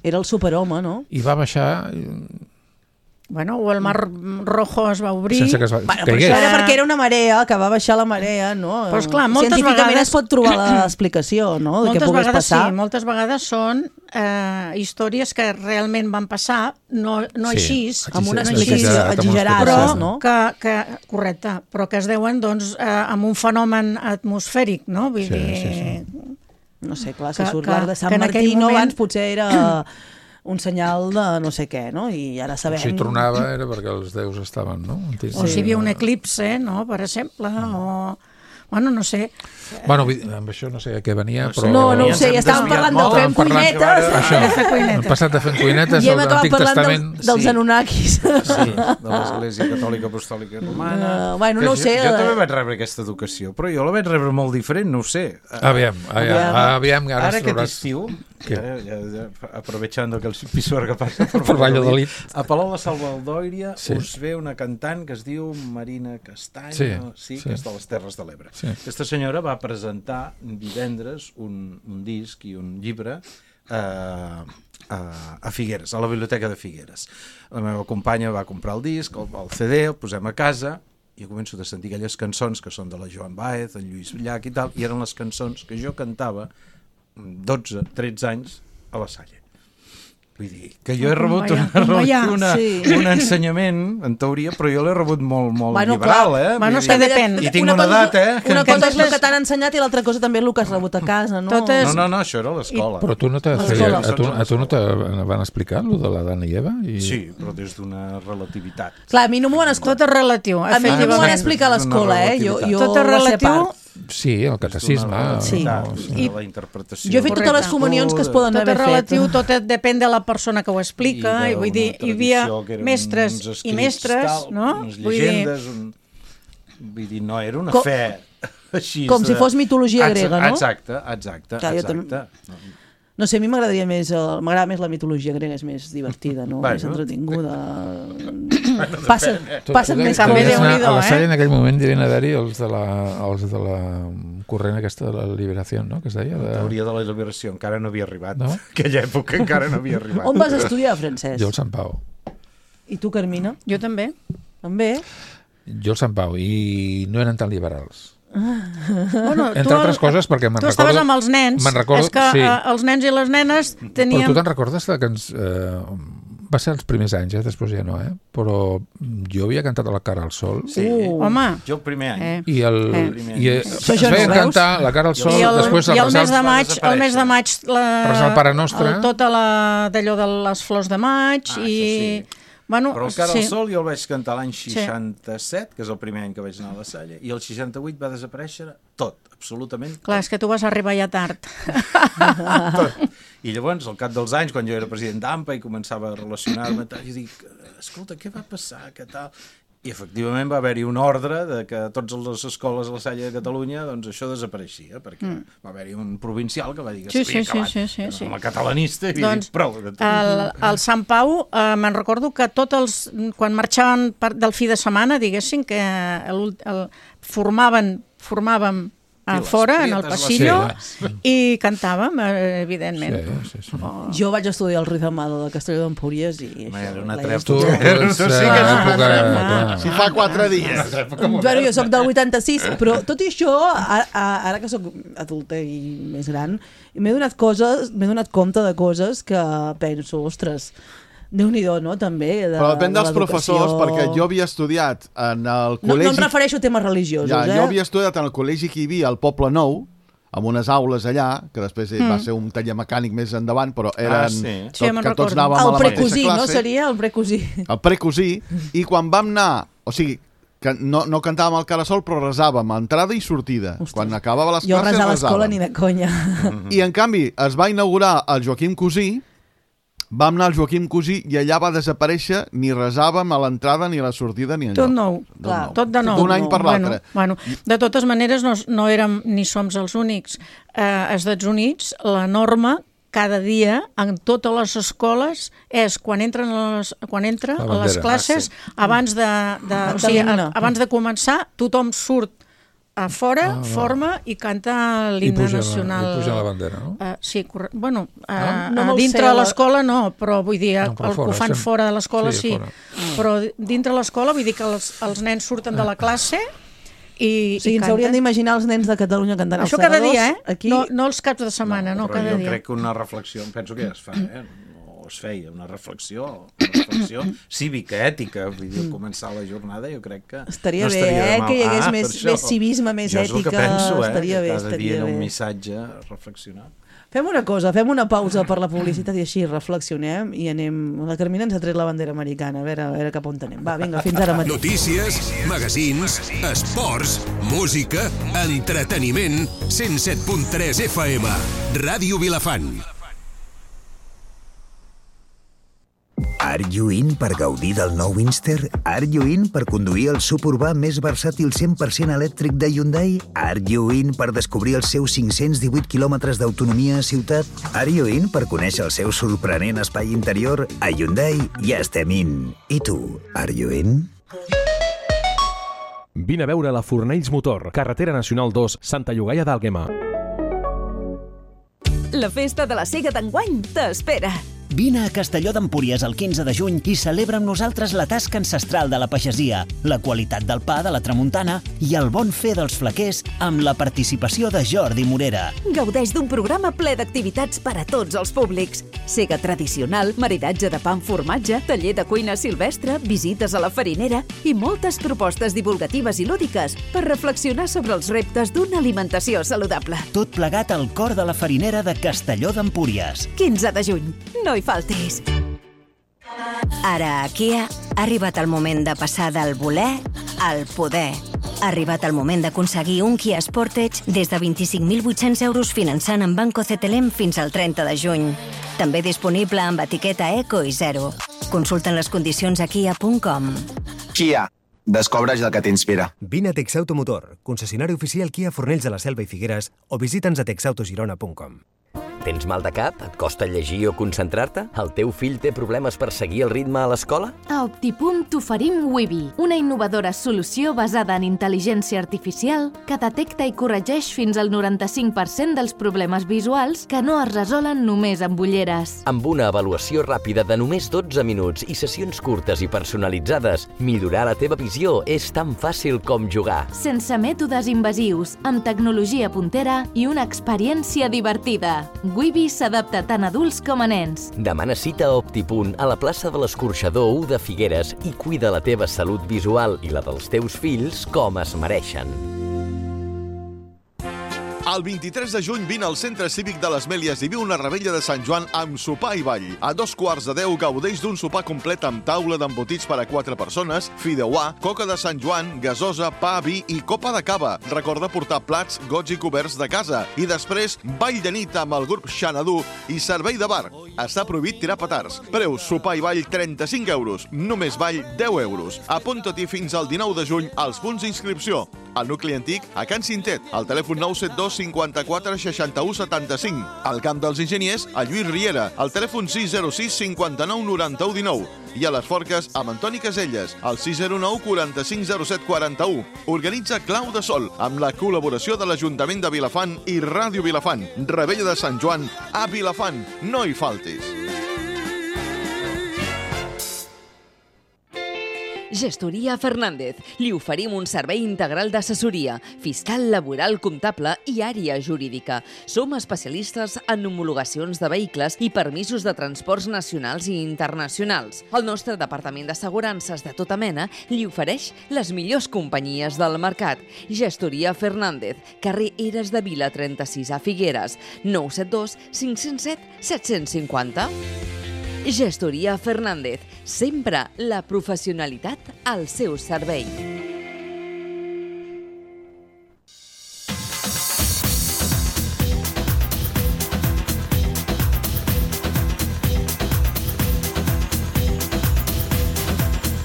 Era el superhome, no? i va baixar i- Bueno, o el Mar Rojo es va obrir. sense que es va, Bueno, però caigués. això era perquè era una marea, que va baixar la marea, no? Però, esclar, moltes Científicament vegades- es pot trobar l'explicació, no? De què Moltes pogués vegades passar. sí, moltes vegades són eh, històries que realment van passar, no, no Sí, així, amb una no explicació així, amb una exagerada, però explicació. no? que, que, correcte, però que es deuen doncs, eh, amb un fenomen atmosfèric, no? Vull Sí, dir, sí, sí. No sé, clar, si Que- surt que- l'arc de Sant que en aquell Martí, no? moment- Abans potser era un senyal de no sé què, no? I ara sabem... Si tronava era perquè els déus estaven, no? Antic- o si hi havia un eclipse, no? Per exemple, o... Bueno, no sé. Bueno, vull dir, amb això no sé a què venia, però... No, no ho Ens sé, hem ja estàvem desviat parlant de molt, fem Estàvem parlant- cuinetes Això, De fer cuinetes. hem passat de fent cuinetes i hem a acabat l'Antic parlant Testament. del, dels Sí. Anunnakis. Sí, de l'Església Catòlica Apostòlica Romana. Uh, bueno, Que no ho jo, sé, Jo eh. també vaig rebre aquesta educació, però jo la vaig rebre molt diferent, no ho sé. Aviam, aviam, Aviam. aviam, ara, Ara ens aquest trobaràs- estiu, Què? ara, ja, ja, aprovechando que el Pisuerga passa per, Per Valladolid. a Palau de Salvadòria Sí. us ve una cantant que es diu Marina Castany, Sí, sí, sí. que és de les Terres de l'Ebre. Sí. Aquesta senyora va presentar divendres un, un disc i un llibre eh, a, a Figueres, a la biblioteca de Figueres. La meva companya va comprar el disc, el, el C D, el posem a casa i jo començo a sentir aquelles cançons que són de la Joan Baez, en Lluís Llach i tal, i eren les cançons que jo cantava amb dotze, tretze anys a la Salle. Vull dir, que jo he rebut, Vaja, una, vaja, una, sí. un ensenyament, en teoria, però jo l'he rebut molt, molt Bueno, liberal, clar. eh? Bueno, Vull és que dir- depèn. I tinc una cosa, edat, eh? que Una em- cosa és el Totes- que t'han ensenyat i l'altra cosa també és el que has rebut a casa, no? Totes- No, no, no, això era a l'escola. Però tu no te L'escola. feia, a, tu, a tu no te van explicar lo de l'Adam i Eva? I... Sí, però des d'una relativitat. Clar, a mi no m'ho van explicar. Tot és relatiu, A mi no m'ho van efectivament. explicar a l'escola, eh? Jo, jo Tot és va ser relatiu. part. Sí, el catecisme. Sí. no, Sí. La interpretació. Jo he fet totes les Correcte. comunions que es poden Tot haver és fet. relatiu, tot és- depèn de la persona que ho explica, i, vull dir, hi havia mestres i mestres, no? Unes Vull dir, llegendes, un... vull dir, no era una Com- fe així. com si de- fos mitologia Exa- grega, no? Exacte, exacte, Clar, jo exacte. No sé, a mi m'agradaria més, eh, m'agrada més la mitologia grega, és més divertida, no? Bueno. Més entretinguda. Passa, Tu- passen tu més també devies coses. anar- Déu-n'hi-do, A la eh? Salle en aquell moment devien haver-hi els de la, els de la corrent aquesta de la liberació, no?, que es deia. La De... teoria de la liberació encara no havia arribat. No? Aquella època encara no havia arribat. On vas estudiar, Francesc? Jo al Sant Pau. I tu, Carmina? jo també. També? Jo al Sant Pau, i no eren tan liberals. Bueno, Entre altres coses, perquè me'n tu recordo... estaves amb els nens. Me'n recordo, És que sí. eh, els nens i les nenes Però tenien... tu te'n recordes de que ens... Eh, va ser els primers anys, eh? Després ja no, eh? Però jo havia cantat a la cara al sol. Sí. Uh. Home, Jo el primer any. eh. I, el, Eh. i eh, Això es ja no feien ho veus? cantar la cara al sol, I el, després i el mes de va maig, desaparèixer. el mes de maig la, Resar el Pare Nostre. el, tota la d'allò de les flors de maig Ah, i això sí. bueno, Però el Cara sí. al Sol jo el vaig cantar l'any seixanta-set, que és el primer any que vaig anar a la Salle, i el seixanta-vuit va desaparèixer tot, absolutament Clar, és que tu vas arribar ja tard. tot. I llavors, al cap dels anys, quan jo era president d'A M P A i començava a relacionar-me, tal, jo dic, escolta, què va passar, què tal? I efectivament va haver-hi un ordre de que a totes les escoles a la Salle de Catalunya doncs això desapareixia, perquè mm. va haver-hi un provincial que va dir que sí, s'havia sí, acabat. Sí, sí, sí, Com a sí. catalanista, i doncs, prou. De tot. El, el Sant Pau, eh, me'n recordo que tots els, quan marxaven per, del fi de setmana, diguéssim, que el, el, formaven, formàvem a fora, en el passillo, sí. i cantàvem, eh, evidentment. Sí, sí, sí. Oh. Jo vaig estudiar el Ruiz Amado de Castelló d'Empúries i... Era una Tu, trepa. tu sí que és època... clar. Si fa quatre dies. Bueno, jo soc del vuitanta-sis, però tot i això, ara, ara que soc adulta i més gran, m'he donat coses, m'he donat compte de coses que penso, ostres, Déu-n'hi-do, no?, també. De, Però depèn de dels professors, perquè jo havia estudiat en el No, col·legi... no em refereixo a temes religiosos, ja, eh? Jo havia estudiat en el col·legi que hi havia al Poble Nou, amb unes aules allà, que després mm. va ser un taller mecànic més endavant, però eren... Ah, sí. Tot, Sí, me'n que tots recordo. anàvem El a la mateixa precosí, classe. no? Seria el precosí. El precosí, i quan vam anar... O sigui, que no, no cantàvem al Carasol, però resàvem a entrada i sortida. Ostres. Quan acabava les Jo classes, resar a l'escola resàvem. ni de conya. I, en canvi, es va inaugurar el Joaquim Cosí, vam anar al Joaquim Cosí i allà va desaparèixer, ni resàvem a l'entrada, ni a la sortida, ni enlloc. Tot nou, Tot clar, nou. tot de nou. D'un any per l'altre. Bueno, bueno, de totes maneres, no, no érem ni som els únics. Eh, als Estats Units, la norma cada dia en totes les escoles és quan entren a les, quan entra La a les bandera. classes, Ah, sí. abans de, de, o sigui, a, abans de començar, tothom surt a fora, Ah, va. forma i canta I l'himne puja, nacional. I puja la bandera, no? Uh, sí, corre... bueno, uh, Ah? No uh, me'l dintre sé, de la- l'escola no, però vull dir, No, però el que ho fora, fan sem- fora de l'escola sí, sí, fora. però dintre l'escola vull dir que els, els nens surten de la classe i, O sigui, i ens haurien canten. d'imaginar els nens de Catalunya cantant els Això cada segadors. dia, eh? Aquí... No, no els caps de setmana, no, però cada jo dia. crec que una reflexió, em penso que ja es fa, eh? No es feia, una reflexió, una reflexió cívica, ètica, vull dir, començar la jornada, jo crec que Estaria no bé, estaria de eh, mal. que hi hagués Ah, més- per això. més civisme, més jo és el que ètica, penso, eh? estaria bé, que cada estaria dia en bé. un missatge reflexionar. Fem una cosa, fem una pausa per la publicitat i així reflexionem i anem... La Carmina ens ha tret la bandera americana, a veure, a veure cap on anem. Va, vinga, fins ara mateix. Notícies, magazins, esports, música, entreteniment, cent set punt tres F M. Ràdio Vilafant. Are you in per gaudir del nou Inster? Are you in per conduir el suburbà més versàtil cent per cent elèctric de Hyundai? Are you in per descobrir els seus cinc-cents divuit quilòmetres d'autonomia a ciutat? Are you in per conèixer el seu sorprenent espai interior? A Hyundai ja estem in. I tu, are you in? Vine a veure la Fornells Motor, carretera nacional dos, Santa Llogaia d'Àlguema. La festa de la Sega d'enguany t'espera. Vine a Castelló d'Empúries el quinze de juny i celebra amb nosaltres la tasca ancestral de la pagesia, la qualitat del pa de la tramuntana i el bon fer dels flaquers amb la participació de Jordi Morera. Gaudeix d'un programa ple d'activitats per a tots els públics. Sega tradicional, maridatge de pa amb formatge, taller de cuina silvestre, visites a la farinera i moltes propostes divulgatives i lúdiques per reflexionar sobre els reptes d'una alimentació saludable. Tot plegat al cor de la farinera de Castelló d'Empúries. quinze de juny. No hi faltis. Ara a Kia ha arribat el moment de passar del voler al poder. Ha arribat el moment d'aconseguir un Kia Sportage des de vint-i-cinc mil vuit-cents euros finançant en Banco C T L M fins al trenta de juny. També disponible amb etiqueta Eco i Zero. Consulten les condicions a kia punt com. Kia. Descobreix el que t'inspira. Vine a Texauto Motor, concessionari oficial Kia Fornells de la Selva i Figueres, o visita'ns a texautogirona punt com. Tens mal de cap? Et costa llegir o concentrar-te? El teu fill té problemes per seguir el ritme a l'escola? A Optipunt t'oferim Wibi, una innovadora solució basada en intel·ligència artificial que detecta i corregeix fins al noranta-cinc per cent dels problemes visuals que no es resolen només amb ulleres. Amb una avaluació ràpida de només dotze minuts i sessions curtes i personalitzades, millorar la teva visió és tan fàcil com jugar. Sense mètodes invasius, amb tecnologia puntera i una experiència divertida. Wibi s'adapta tant a adults com a nens. Demana cita a Optipunt a la plaça de l'Escorxador u de Figueres i cuida la teva salut visual i la dels teus fills com es mereixen. El vint-i-tres de juny vine al Centre Cívic de les Mèlies i viu una rebella de Sant Joan amb sopar i ball. A dos quarts de deu gaudeix d'un sopar complet amb taula d'embotits per a quatre persones, fideuà, coca de Sant Joan, gasosa, pa, vi i copa de cava. Recorda portar plats, gots i coberts de casa. I després, ball de nit amb el grup Xanadu i servei de bar. Està prohibit tirar petards. Preu sopar i ball trenta-cinc euros. Només ball deu euros. Apunta-t'hi fins al dinou de juny als punts d'inscripció. Al nucli antic, a Can Cintet, al telèfon nou set dos cinquanta-quatre seixanta-u setanta-cinc. Al Camp dels Enginyers, a Lluís Riera, al telèfon sis zero sis cinquanta-nou noranta-u dinou. I a les Forques, amb Antoni Caselles, al sis zero nou quaranta-cinc zero set quaranta-u. Organitza Clau de Sol, amb la col·laboració de l'Ajuntament de Vilafant i Ràdio Vilafant. Rebella de Sant Joan a Vilafant. No hi faltis. Gestoria Fernández. Li oferim un servei integral d'assessoria, fiscal, laboral, comptable i àrea jurídica. Som especialistes en homologacions de vehicles i permisos de transports nacionals i internacionals. El nostre departament d'assegurances de tota mena li ofereix les millors companyies del mercat. Gestoria Fernández, carrer Eres de Vila trenta-sis a Figueres, nou set dos cinc zero set set cinquanta. Gestoria Fernández, sempre la professionalitat al seu servei.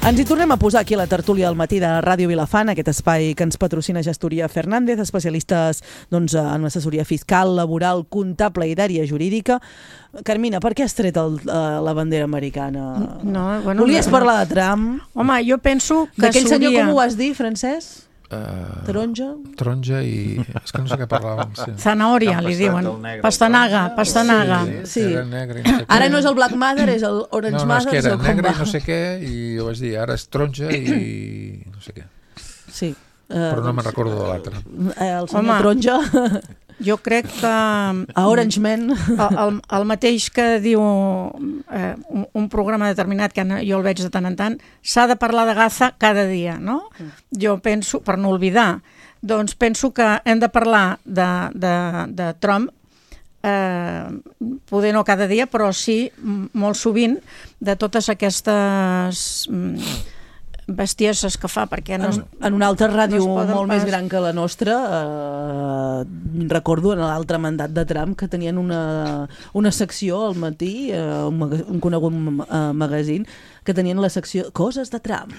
Ens hi tornem a posar aquí a la tertúlia del matí de Ràdio Vilafant, aquest espai que ens patrocina Gestoria Fernández, especialistes doncs, en assessoria fiscal, laboral, comptable i d'àrea jurídica. Carmina, per què has tret el, la bandera americana? No, bueno, Volies no, parlar de Trump? Home, jo penso que d'aquell s'hauria... senyor, com ho vas dir, Francesc? Uh, taronja? Taronja i... És que no sé què parlàvem. Sí. Zanahòria, li diuen. Pastanaga, pastanaga. Sí, sí. Era negre i no sé què. Ara no és el Black Mother, és el Orange no, no, Mother. No, és que era negre i no sé què, i jo vaig dir, ara és taronja i no sé què. Sí. Uh, Però no me'n recordo de l'altre. El senyor Home, taronja... Jo crec que... A Orange Man. El, el, el mateix que diu eh, un, un programa determinat, que jo el veig de tant en tant, s'ha de parlar de Gaza cada dia, no? Jo penso, per no oblidar, doncs penso que hem de parlar de, de, de Trump, eh, poder no cada dia, però sí molt sovint, de totes aquestes... Mm, bestieses que fa, perquè no... En, en una altra ràdio no molt pas... més gran que la nostra, eh, recordo en l'altre mandat de Trump que tenien una, una secció al matí, eh, un, un conegut eh, magazín, que tenien la secció Coses de Trump.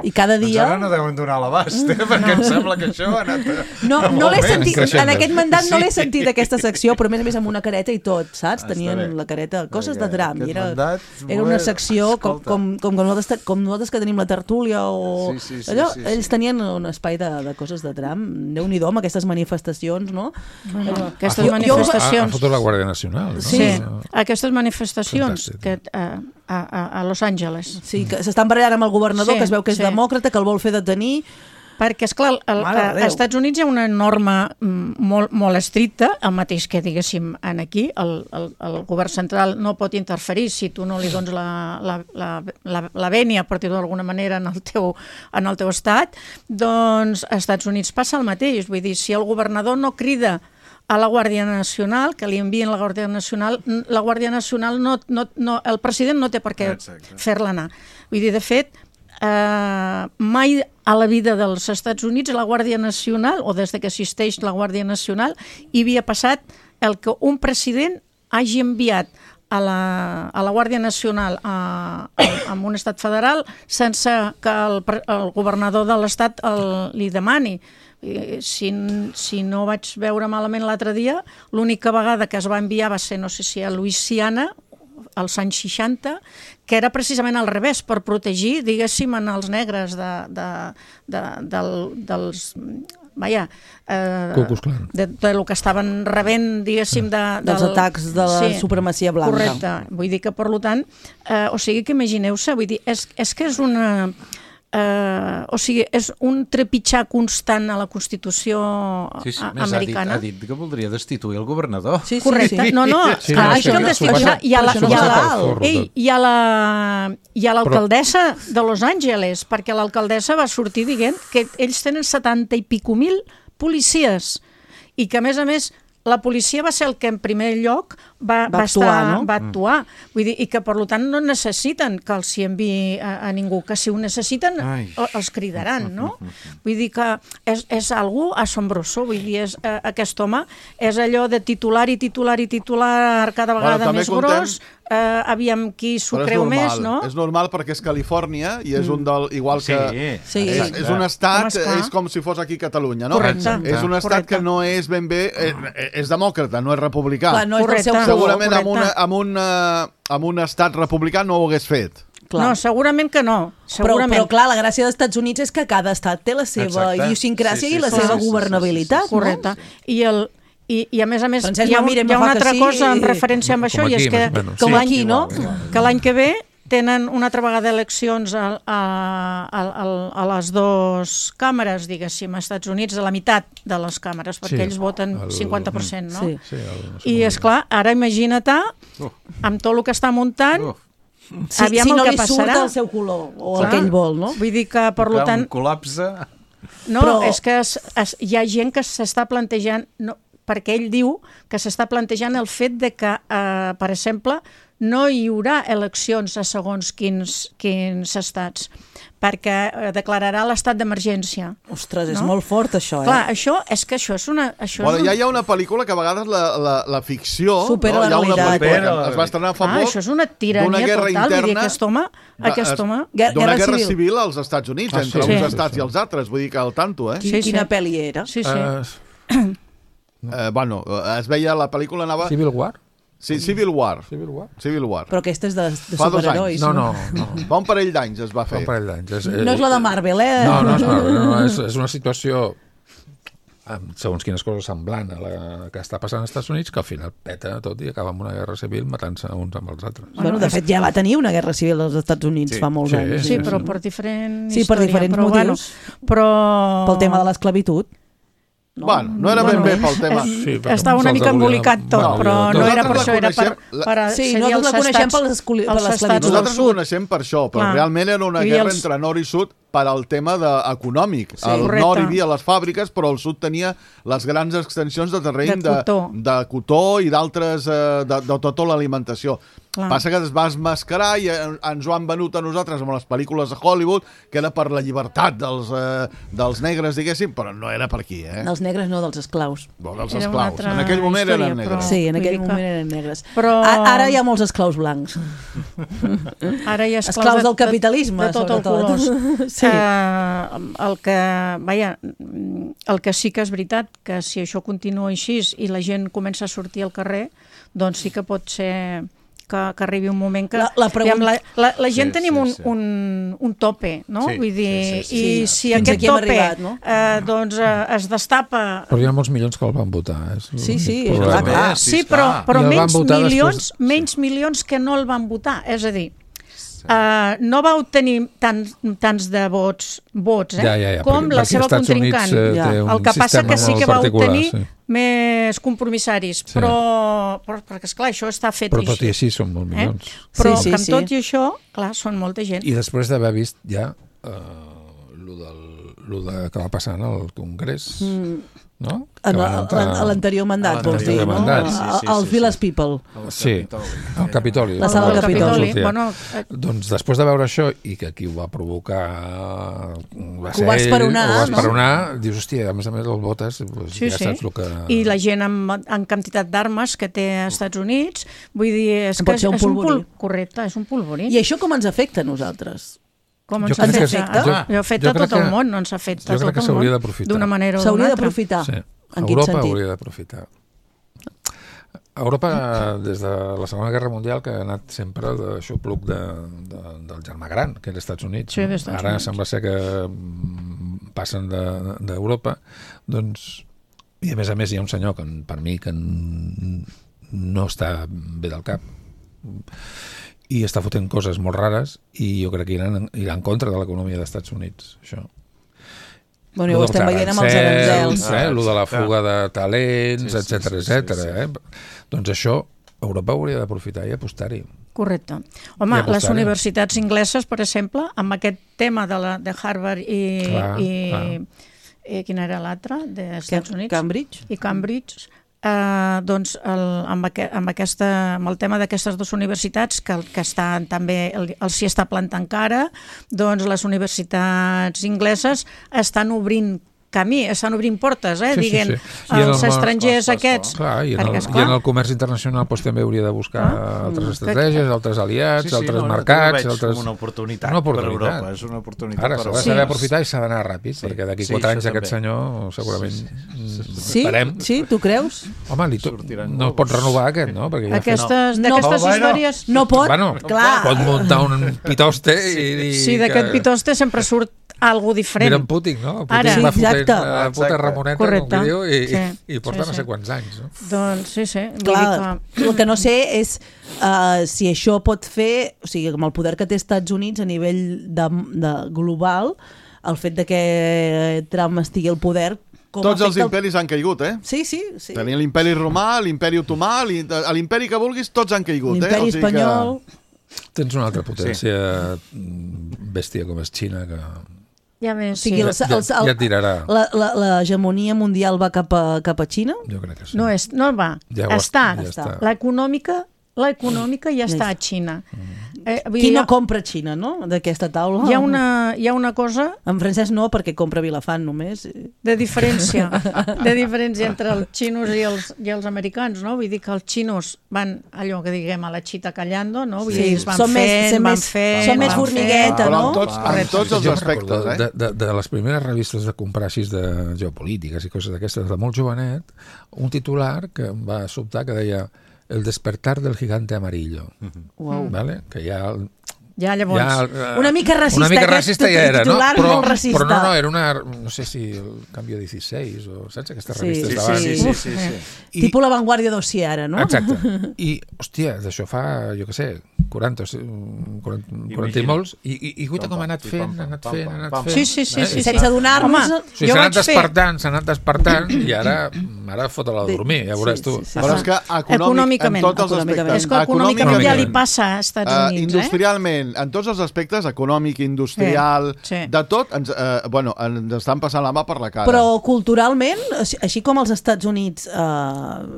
I cada dia... Doncs ara no deuen donar l'abast, eh? Perquè no. Em sembla que això ha anat... No, no l'he sentit, en aquest mandat no l'he sentit aquesta secció, però a més a més amb una careta i tot, saps? Tenien la careta Coses de Trump. I era, era una secció com, com, com, nosaltres, com nosaltres que tenim la tertúlia o... Sí, sí, sí, allò, sí, sí. Ells tenien un espai de, de Coses de Trump. Déu-n'hi-do amb aquestes manifestacions, no? Bueno, aquestes jo, manifestacions... Ha fotut la Guàrdia Nacional, no? Sí, no. Aquestes manifestacions que... Uh, A, a, a Los Angeles. Sí, que s'estan barallant amb el governador, sí, que es veu que és sí. demòcrata, que el vol fer detenir. Perquè, esclar, el, a, als Estats Units hi ha una norma molt, molt estricta, el mateix que, diguéssim, en aquí, el, el, el govern central no pot interferir si tu no li dones la, la, la, la, la vènia, per dir-ho d'alguna manera, en el, teu, en el teu estat, doncs als Estats Units passa el mateix. Vull dir, si el governador no crida a la Guàrdia Nacional, que li envien la Guàrdia Nacional, la Guàrdia Nacional, no, no, no, el president no té per què fer-la anar. Vull dir, de fet, eh, mai a la vida dels Estats Units la Guàrdia Nacional, o des que existeix la Guàrdia Nacional, hi havia passat el que un president hagi enviat a la, a la Guàrdia Nacional a, a, a un estat federal sense que el, el governador de l'estat el, li demani. Si, si no vaig veure malament l'altre dia, l'única vegada que es va enviar va ser, no sé si a Louisiana, als anys seixanta, que era precisament al revés, per protegir, diguéssim, en els negres de, de, de, del, dels... Vaja, eh, de, de lo que estaven rebent, diguéssim, de, dels del, atacs de la sí, supremacia blanca. Correcte. Vull dir que, per tant, eh, o sigui que imagineu-se, vull dir, és, és que és una... Uh, o sigui, és un trepitjar constant a la Constitució sí, sí, americana. Ha dit, ha dit que voldria destituir el governador. Sí, sí, correcte. Sí. No, no, sí, no, això el destituirà. Hi ha la, hi ha la, ei, hi ha la, hi ha l'alcaldessa de Los Angeles, perquè l'alcaldessa va sortir dient que ells tenen setanta i pico mil policies i que a més a més la policia va ser el que en primer lloc va, Va va, actuar, estar, no? va actuar. Vull dir, i que per tant no necessiten que els hi enviï a, a ningú, que si ho necessiten Ai. els cridaran, no? Vull dir que és, és algú assombroso, vull dir, és, eh, aquest home és allò de titular i titular i titular cada vegada Bueno, també més contem- gros, eh, aviam qui s'ho Però és creu normal, més, no? És normal perquè és Califòrnia i és un del... Igual Sí, que... sí. És, Exacte. és un estat, Home, esclar. és com si fos aquí Catalunya, no? Correcte. És un estat Correcte. que no és ben bé... Eh, és demòcrata, no és republicà. Clar, no és del seu Correcte. color. Segurament amb, una, correcte. amb, una, amb un estat republicà no ho hagués fet. Clar. No, segurament que no. Però, Segurament. però clar, la gràcia dels Estats Units és que cada estat té la seva Exacte. idiosincràsia Sí, sí, i la sí, seva sí, sí, governabilitat, sí, sí, sí. Correcte. I, el, i, I a més a més Francesc hi ha, un- Mamire hi ha me fa una que altra sí. cosa en referència amb això, Com i és aquí, que, més o menys. com que aquí, no? que l'any que ve tenen una altra vegada eleccions a, a, a, a, a les dues càmeres, diguéssim, als Estats Units, a la meitat de les càmeres, perquè Sí, ells voten el- cinquanta per cent, no? Sí. Sí, el, I, és clar, ara imagina't amb tot el que està muntant, Uf. Si, aviam si el no que li surt passarà. el seu color o Clar. el que ell vol, no? Vull dir que, per Clar, tant, un col·lapse... no, Però- és que es, es, hi ha gent que s'està plantejant, no, perquè ell diu que s'està plantejant el fet de que, eh, per exemple, no hi haurà eleccions a segons quins, quins estats, perquè eh, declararà l'estat d'emergència. Ostres, és No? molt fort, això, eh? Clar, això és que això és una... Això Bueno, és un... ja hi ha una pel·lícula que a vegades la, la, la ficció... Supera no? la Hi ha una realitat. pel·lícula que es va estrenar fa Ah, poc això és una tirania d'una guerra total, vull dir, interna aquest home, de- aquest es- home... Guerra- d'una guerra guerra civil. civil als Estats Units, Ah, entre sí. uns Sí. estats i els altres, vull dir que al tanto, eh? Qui- Sí, sí. Quina pel·li era? Sí, sí. Uh, Eh, bueno, es veia la pel·lícula anava... Civil War? Sí, Civil War. Civil War? Civil War. Però aquesta és de, de Fa dos superherois. No, no, no. Fa un parell d'anys es va Fa fer. un parell d'anys. És, No és la de Marvel, eh? No, no és Marvel, no, no, és, és una situació amb segons quines coses semblant a la que està passant als Estats Units, que al final peta tot i acaba amb una guerra civil matant-se uns amb els altres. Bueno, de fet, ja va tenir una guerra civil als Estats Units Sí. fa molts Sí, anys. Sí, sí, però sí. per diferent Sí, per història. diferents però, motius. Bueno, però... Pel tema de l'esclavitud. Bueno, no era ben bé pel tema... Eh, Sí, perquè estava una se'ls mica hauria- embolicat tot, Bueno, però no nosaltres era per la això, era per... coneixem- per Sí, seria nosaltres els la coneixem estats- per l'escoli- per els l'esclavitud. estats del Nosaltres ho sud. coneixem per això, però Clar. realment era una I guerra els- entre nord i sud per al tema de, econòmic. Sí. El Correcte. nord hi havia les fàbriques, però el sud tenia les grans extensions de terreny De cotó. de, de cotó i d'altres, eh, de, de tota l'alimentació. Clar. Passa que es va esmascarar i eh, ens ho han venut a nosaltres amb les pel·lícules de Hollywood, que era per la llibertat dels, eh, dels negres, diguéssim, però no era per aquí, eh? Dels negres no, dels esclaus. No, dels Era una esclaus. altra En aquell moment història, eren negres. però- Sí, en vull aquell dir que- moment eren negres. Però- A, ara hi ha molts esclaus blancs. Ara hi ha Esclaus de- del capitalisme, de, de tot el sobretot. colors. Sí. Eh, el que, vaja, el que sí que és veritat, que si això continua així i la gent comença a sortir al carrer, doncs sí que pot ser que, que arribi un moment que... La- la pregunta- aviam, la, la, la gent Sí, tenim sí, un, sí. un, un tope, no? Sí, Vull dir, sí, sí, i sí. si Fins aquest aquí hem tope arribat, no? eh, doncs, eh, es destapa... Però hi ha molts milions que el van votar. És Sí, sí, l'únic clar, problema. clar. Sí, esclar. però, però I el van menys votar milions, després- menys milions que no el van votar. És a dir, Uh, no va obtenir tants, tants de vots, vots eh? Ja, ja, ja, com perquè- la perquè seva Estats Units, contrincant. eh, Ja. té un El que passa sistema que sí molt que va particular, obtenir sí. més compromissaris, Sí. però, però perquè esclar, això està fet Però tot i així. així són molts Eh? milions. Però Sí, sí, que amb sí. tot i això, clar, són molta gent. I després d'haver vist ja eh, lo, del, lo de, que va passar en el Congrés, Mm. no? Que En van a- entrar- a l'anterior mandat, vols dir, l'anterior no? mandat, A- sí, a- sí, Als sí, Village sí. People. Sí, al Capitoli. La sala del Capitoli. sortia. Bueno, eh, Doncs després de veure això i que qui ho va provocar va ser va ell, esperonar, ho va no? esperonar, dius, hòstia, a més a més el votes, doncs sí, ja sí. saps el que... I la gent amb, amb quantitat d'armes que té als Estats Units, vull dir, és Pot que és, ser un és un polvorí. pol... Correcte, és un polvorí. I això com ens afecta a nosaltres? Com Jo ens crec que- afecta? jo- Jo, afecta jo crec tot el que- món, no ens afecta jo crec tot que el s'hauria món. d'aprofitar. D'una manera o d'una S'hauria altra. d'aprofitar. Sí. En quin Europa sentit? hauria d'aprofitar. Europa, des de la Segona Guerra Mundial, que ha anat sempre d'aixopluc de, de, del germà gran, que era als Estats Units. Sí, no? dels Estats Ara Units. sembla ser que mm, passen de- d'Europa, doncs, i a més a més hi ha un senyor que per mi que n- no està bé del cap i està fotent coses molt rares i jo crec que irà en, irà en contra de l'economia dels Estats Units, això. Bueno, ja ho Lo dels estem veient amb els aranzels. eh? Lo de la fuga de Sí, talents, sí, etcètera, sí, sí, etcètera. sí. Eh? Doncs això Europa hauria d'aprofitar i apostar-hi. Correcte. I Home, apostar-hi. les universitats ingleses, per exemple, amb aquest tema de, la, de Harvard i, Clar, i, clar. eh, quina era l'altra, dels Estats Units? Cambridge. I Cambridge. Uh, doncs el, amb, aqu amb, aquesta, amb el tema d'aquestes dues universitats que, que estan també, el, el s'hi està plantant cara, doncs les universitats ingleses estan obrint camí, estan obrint portes, eh? Sí, Diguent, sí, sí. I els el, estrangers clar, aquests... Clar, i, en perquè, el, I en el comerç internacional doncs, també hauria de buscar ah, altres estratègies, que... altres aliats, sí, sí, altres no, mercats... No, altres... una oportunitat, una oportunitat per Europa, és una oportunitat Ara s'ha de saber sí. aprofitar i s'ha d'anar ràpid, sí. perquè d'aquí sí, quatre anys també. aquest senyor segurament sí, esperem. Sí, tu creus? Home, li to... no pot renovar aquest, no? Perquè ja aquestes, no. D'aquestes no, històries... No pot, bueno, clar. Pot muntar un pitoste i... i sí, d'aquest que... pitoste sempre surt algo diferent. Mira en Putin, no? Putin Ara, va sí, fotent la puta Ramoneta, correcte. Com que diu, i, sí, i porta sí, no sé sí. quants anys. No? Doncs sí, sí. Clar, que... el que no sé és uh, si això pot fer, o sigui, amb el poder que té Estats Units a nivell de, de global, el fet de que Trump estigui al poder... Com Tots els el... imperis han caigut, eh? Sí, sí. sí. Tenia l'imperi romà, l'imperi otomà, l'imperi que vulguis, tots han caigut, eh? L'imperi o sigui espanyol... Que... Tens una altra potència sí. bèstia com és Xina que... Ja més, o sigui, sí. el, el, el, ja, ja tirarà. L'hegemonia mundial va cap a, cap a Xina? Jo crec que sí. No, és, no va. Ja està. Ja està. L'econòmica l'econòmica ja està a Xina. Mm. Eh, Qui no compra Xina, no?, d'aquesta taula? Hi ha una, hi ha una cosa... En francès no, perquè compra Vilafant només. De diferència, de diferència entre els xinos i els, i els americans, no? Vull dir que els xinos van, allò que diguem, a la xita callando, no? Vull sí, dir, es van són fent, més, van més, fent... Són més formigueta, no? no? Però tots, en tots els aspectes, eh? De, de, de les primeres revistes de comprar així de geopolítiques i coses d'aquestes, de molt jovenet, un titular que em va sobtar que deia El despertar del gigante amarillo. Wow. ¿Vale? Que ja... Ja, llavors... Ja, una mica racista, una mica aquest racista ja era, no? Però, molt racista. Però no, no, era una... No sé si el Canvio dieciséis o... Saps aquestes sí, revistes sí, d'abans? Sí, sí, sí, sí, sí. I, Tipo La Vanguardia d'Oci ara, no? Exacte. I, hòstia, d'això fa, jo què sé, quaranta, quaranta, quaranta i molts, i, i, i guaita com ha anat fent, ha anat fent, ha anat fent... Sí, sí, sí. sí, sí. Sense adonar-nos... O sigui, s'ha anat despertant, s'ha anat despertant, i ara, ara fot-la a dormir, ja veuràs tu. Sí, sí, sí. Però és que econòmicament, en tots els aspectes... És que econòmicament ja li passa a Estats Units, eh? Industrialment, en tots els aspectes, econòmic, industrial, sí, sí. de tot, ens, eh, bueno, ens estan passant la mà per la cara. Però culturalment, així com als Estats Units, eh,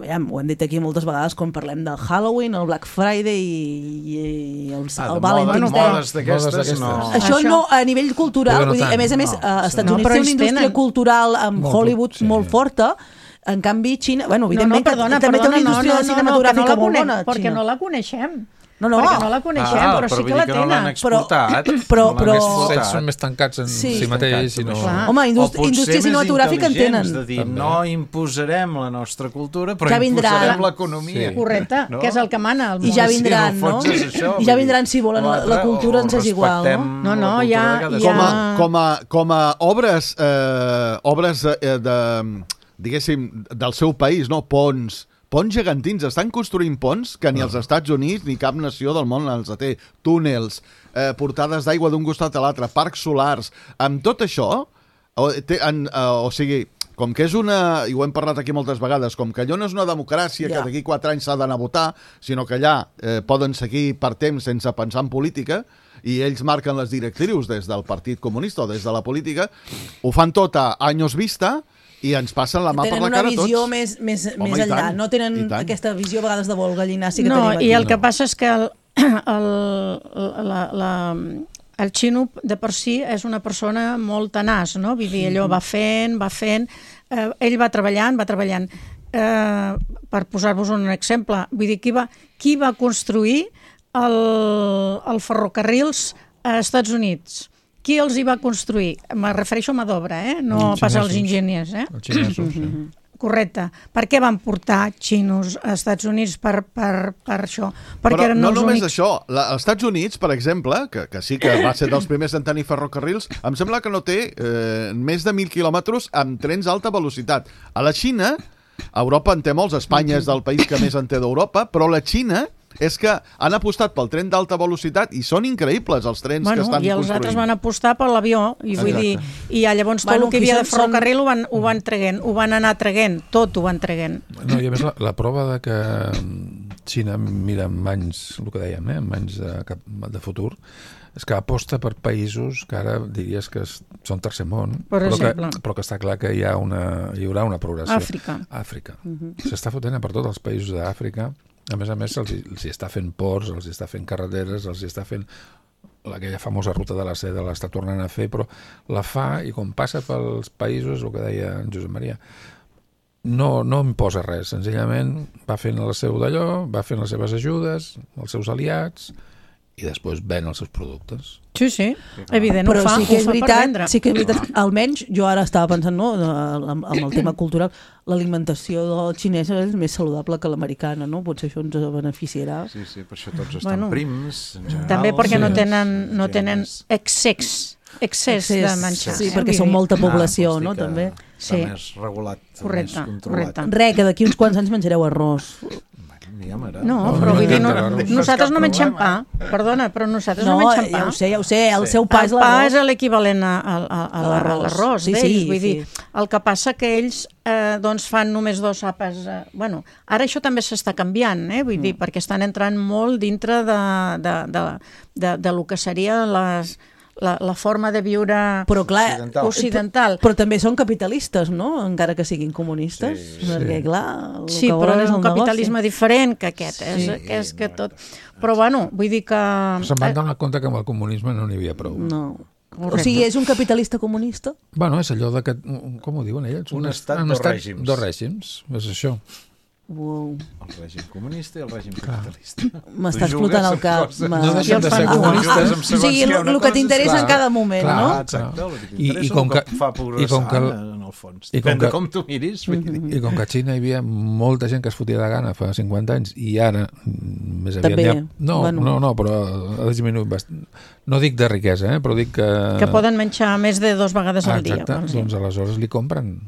ja, ho hem dit aquí moltes vegades quan parlem del Halloween, el Black Friday i, i el, ah, el Valentine's Day. Modes d'aquestes, no. Això, Això no, a nivell cultural, vull dir, a més a més, no, Estats no, Units té una indústria tenen. cultural amb molt, Hollywood sí. molt forta. En canvi, Xina... Bueno, evidentment, no, no, perdona, també perdona, té una indústria no, no, cinematogràfica no, no, molt bona, perquè Xina. no la coneixem. No, no. Perquè no la coneixem, ah, però, però sí que la tenen. No l'han exportat. Però, però, però... Ells són més tancats en sí, si mateix. I no... Home, indúst indústria cinematogràfica en tenen. De dir, no imposarem la nostra cultura, però ja imposarem l'economia. Sí. Correcte, no? Que és el que mana al món. I ja vindran, no? no? Això, I ja vindran, si volen, la, la cultura ens és igual, no? No, no, ja... Com a, com a, com a obres, eh, obres de, de, diguéssim, del seu país, no? Ponts, ponts gegantins, estan construint ponts que ni els Estats Units ni cap nació del món els té. Túnels, eh, portades d'aigua d'un costat a l'altre, parcs solars. Amb tot això, o, té, en, eh, o sigui, com que és una, i ho hem parlat aquí moltes vegades, com que allò no és una democràcia yeah. que d'aquí quatre anys s'ha d'anar a votar, sinó que allà eh, poden seguir per temps sense pensar en política, i ells marquen les directrius des del Partit Comunista o des de la política, ho fan tot a anys vista, i ens passen la mà per la cara tots. Tenen una visió més, més, Home, més enllà, tant, no tenen aquesta visió a vegades de vol gallina sí que no, tenim aquí. I el que passa és que el, el, la, la, el xino de per si és una persona molt tenaç, no? Vull dir, allò va fent, va fent, eh, ell va treballant, va treballant. Eh, per posar-vos un exemple, vull dir, qui va, qui va construir el, el ferrocarrils a Estats Units? Qui els hi va construir? Me refereixo a mà d'obra, eh? No pas als enginyers. Eh? Els xinesos, sí. Correcte. Per què van portar xinos a Estats Units per, per, per això? Perquè Però eren no els només únics... això. La, als Estats Units, per exemple, que, que sí que va ser dels primers en tenir ferrocarrils, em sembla que no té eh, més de mil quilòmetres amb trens d'alta velocitat. A la Xina, a Europa en té molts, Espanya és del país que més en té d'Europa, però la Xina és que han apostat pel tren d'alta velocitat i són increïbles els trens bueno, que estan i els construint. altres van apostar per l'avió i vull dir, i llavors tot bueno, el que hi havia de ferrocarril són... ho, van, ho van traguent, ho van anar traguent, tot ho van traguent. No, i a més la, la prova de que Xina mira amb anys, el que dèiem, eh, amb anys de, de futur, és que aposta per països que ara diries que són tercer món, per però, exemple. que, però que està clar que hi, ha una, hi haurà una progressió. Àfrica. Àfrica. Uh-huh. S'està fotent per tots els països d'Àfrica. A més a més, els, els hi està fent ports, els hi està fent carreteres, els hi està fent aquella famosa ruta de la seda, l'està tornant a fer, però la fa i quan passa pels països, el que deia en Josep Maria, no, no imposa res, senzillament va fent el seu d'allò, va fent les seves ajudes, els seus aliats, i després ven els seus productes. Sí, sí, evident, però ho fa, sí que és ho fa veritat, per vendre. sí que és veritat, almenys jo ara estava pensant, no, amb, amb el tema cultural, l'alimentació xinesa és més saludable que l'americana, no? Potser això ens beneficiarà. Sí, sí, per això tots estan Bueno, prims, en general. també perquè sí. no tenen, no tenen excés, excés de menjar. Sí, perquè són molta població, no? També. Està Sí. més regulat, Correcte, més controlat. correcte. Re, que d'aquí uns quants anys menjareu arròs. No, però vull dir, no, nosaltres no mengem pa. Perdona, però nosaltres no, No, mengem pa. ja ho sé, ja ho sé, el seu pa és El pa l'arròs. és l'equivalent a, a, a, a l'arròs. l'arròs Sí, d'ells. sí, Vull dir, sí. el que passa que ells eh, doncs fan només dos àpats. Eh, bueno, ara això també s'està canviant, eh? Vull dir, perquè estan entrant molt dintre de, de, de, de, de lo que seria les... La, la forma de viure però, clar, occidental. occidental. Però, però també són capitalistes, no? Encara que siguin comunistes. Sí, perquè, sí. clar, el Sí, que però volen és és un el capitalisme negoci. diferent que aquest. És, Sí. que és que tot... Però, bueno, vull dir que... Se'n van donar compte que amb el comunisme no n'hi havia prou. No. O sigui, és un capitalista comunista? Bueno, és allò de que... Com ho diuen ells? Un estat, un dos estat, règims. Dos règims, és això. Wow. El règim comunista i el règim capitalista. M'està Tu explotant jugues el cap. amb coses. Ma- No deixen de ser Ah, comunistes. ah, amb o segons sigui, què, el, una el que cosa t'interessa és- en cada moment, clar, no? Ah, exacte, el que I- i t'interessa com el que que- fa i com progressar que- en el fons. i com Depèn de que- com tu miris. Vull dir. I com que a Xina hi havia molta gent que es fotia de gana fa cinquanta anys i ara mm, més aviat També, n'hi ha... No, bueno. no, no, però ha disminuït bastant. No dic de riquesa, eh, però dic que... Que poden menjar més de dos vegades ah, al dia. exacte, vols dir. doncs aleshores li compren.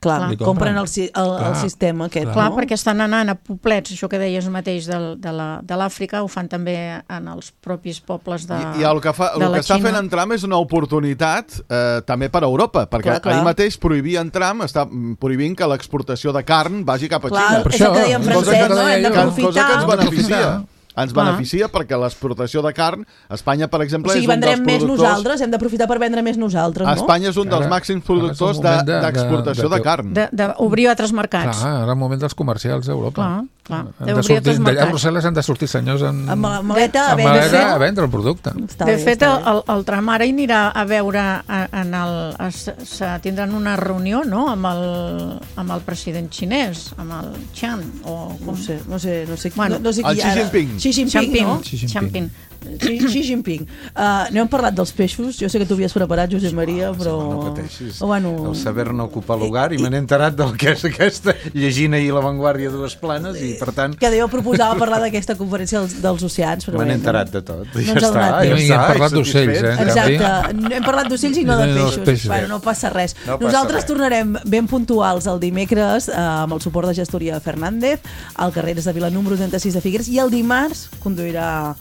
Clar, Li compren el, si- el, el Clar, sistema aquest, Clar, no? perquè estan anant a poblets, això que deies mateix del, de la- de l'Àfrica, ho fan també en els propis pobles de, I, i el que, fa, de el la que està Xina. fent en Trump és una oportunitat eh, també per a Europa, perquè Clar, clar. ahir mateix prohibia en Trump, està mm, prohibint que l'exportació de carn vagi cap a Clar, Xina. és el que deia en Cosa francès, que- no? Hem que- d'aprofitar. Cosa que ens Hem d'aprofitar. beneficia. Ens Clar. beneficia perquè l'exportació de carn, Espanya, per O exemple, sigui, és un dels vendrem més productors... nosaltres, hem d'aprofitar per vendre més nosaltres, no? Espanya és un dels Ara- màxims ara productors és el moment de- de- d'exportació de, de- de carn. De- D'obrir altres mercats. Clar, ara el moment dels comercials a Europa. Clar, clar. Han D'obrir de sortir, altres d'allà a mercats. Brussel·les han de sortir senyors en, Amb la maleta a amb vendre. maleta a vendre el producte. Està De bé, fet, està el, bé. el, el Trump ara hi anirà a veure a- en el, es, se tindran una reunió, no?, amb el, amb el president xinès, amb el Chan, o No com... sé, no sé, no sé, Bueno, no, no sé el qui Xi ara. Jinping. Xi Jinping, no? Xi Jinping. Xi, Xi Jinping. Uh, no hem parlat dels peixos, jo sé que tu havies preparat, Josep Maria, però... No pateixis. Oh, bueno... El saber no ocupa lugar i me n'he enterat del que és aquesta, llegint ahir La Vanguardia dues planes i per tant Que jo proposava parlar d'aquesta conferència dels, dels oceans, però me n'he bé, enterat de tot. No Ja ens ha està, donat ja temps. I està. hem parlat i d'ocells, satisfets. eh? Exacte, hem parlat d'ocells i no de I no dels peixos. peixos. Bueno, no passa res. No passa Nosaltres res. tornarem ben puntuals el dimecres eh, amb el suport de gestoria Fernández, al carrer de Vila número trenta-sis de Figueres, i el dimarts conduirà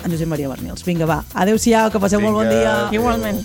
en Josep Maria Bernils. Vinga, va, adeu-siau, que passeu Vinga. molt bon dia. Igualment.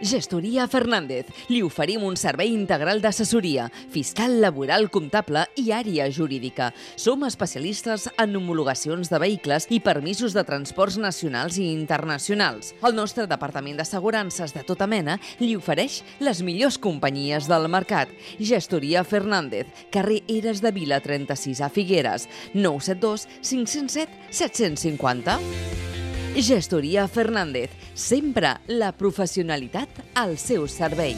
Gestoria Fernández. Li oferim un servei integral d'assessoria, fiscal, laboral, comptable i àrea jurídica. Som especialistes en homologacions de vehicles i permisos de transports nacionals i internacionals. El nostre departament d'assegurances de tota mena li ofereix les millors companyies del mercat. Gestoria Fernández, carrer Eres de Vila trenta-sis a Figueres, nou set dos cinc zero set set cinc zero. Gestoria Fernández, sempre la professionalitat al seu servei.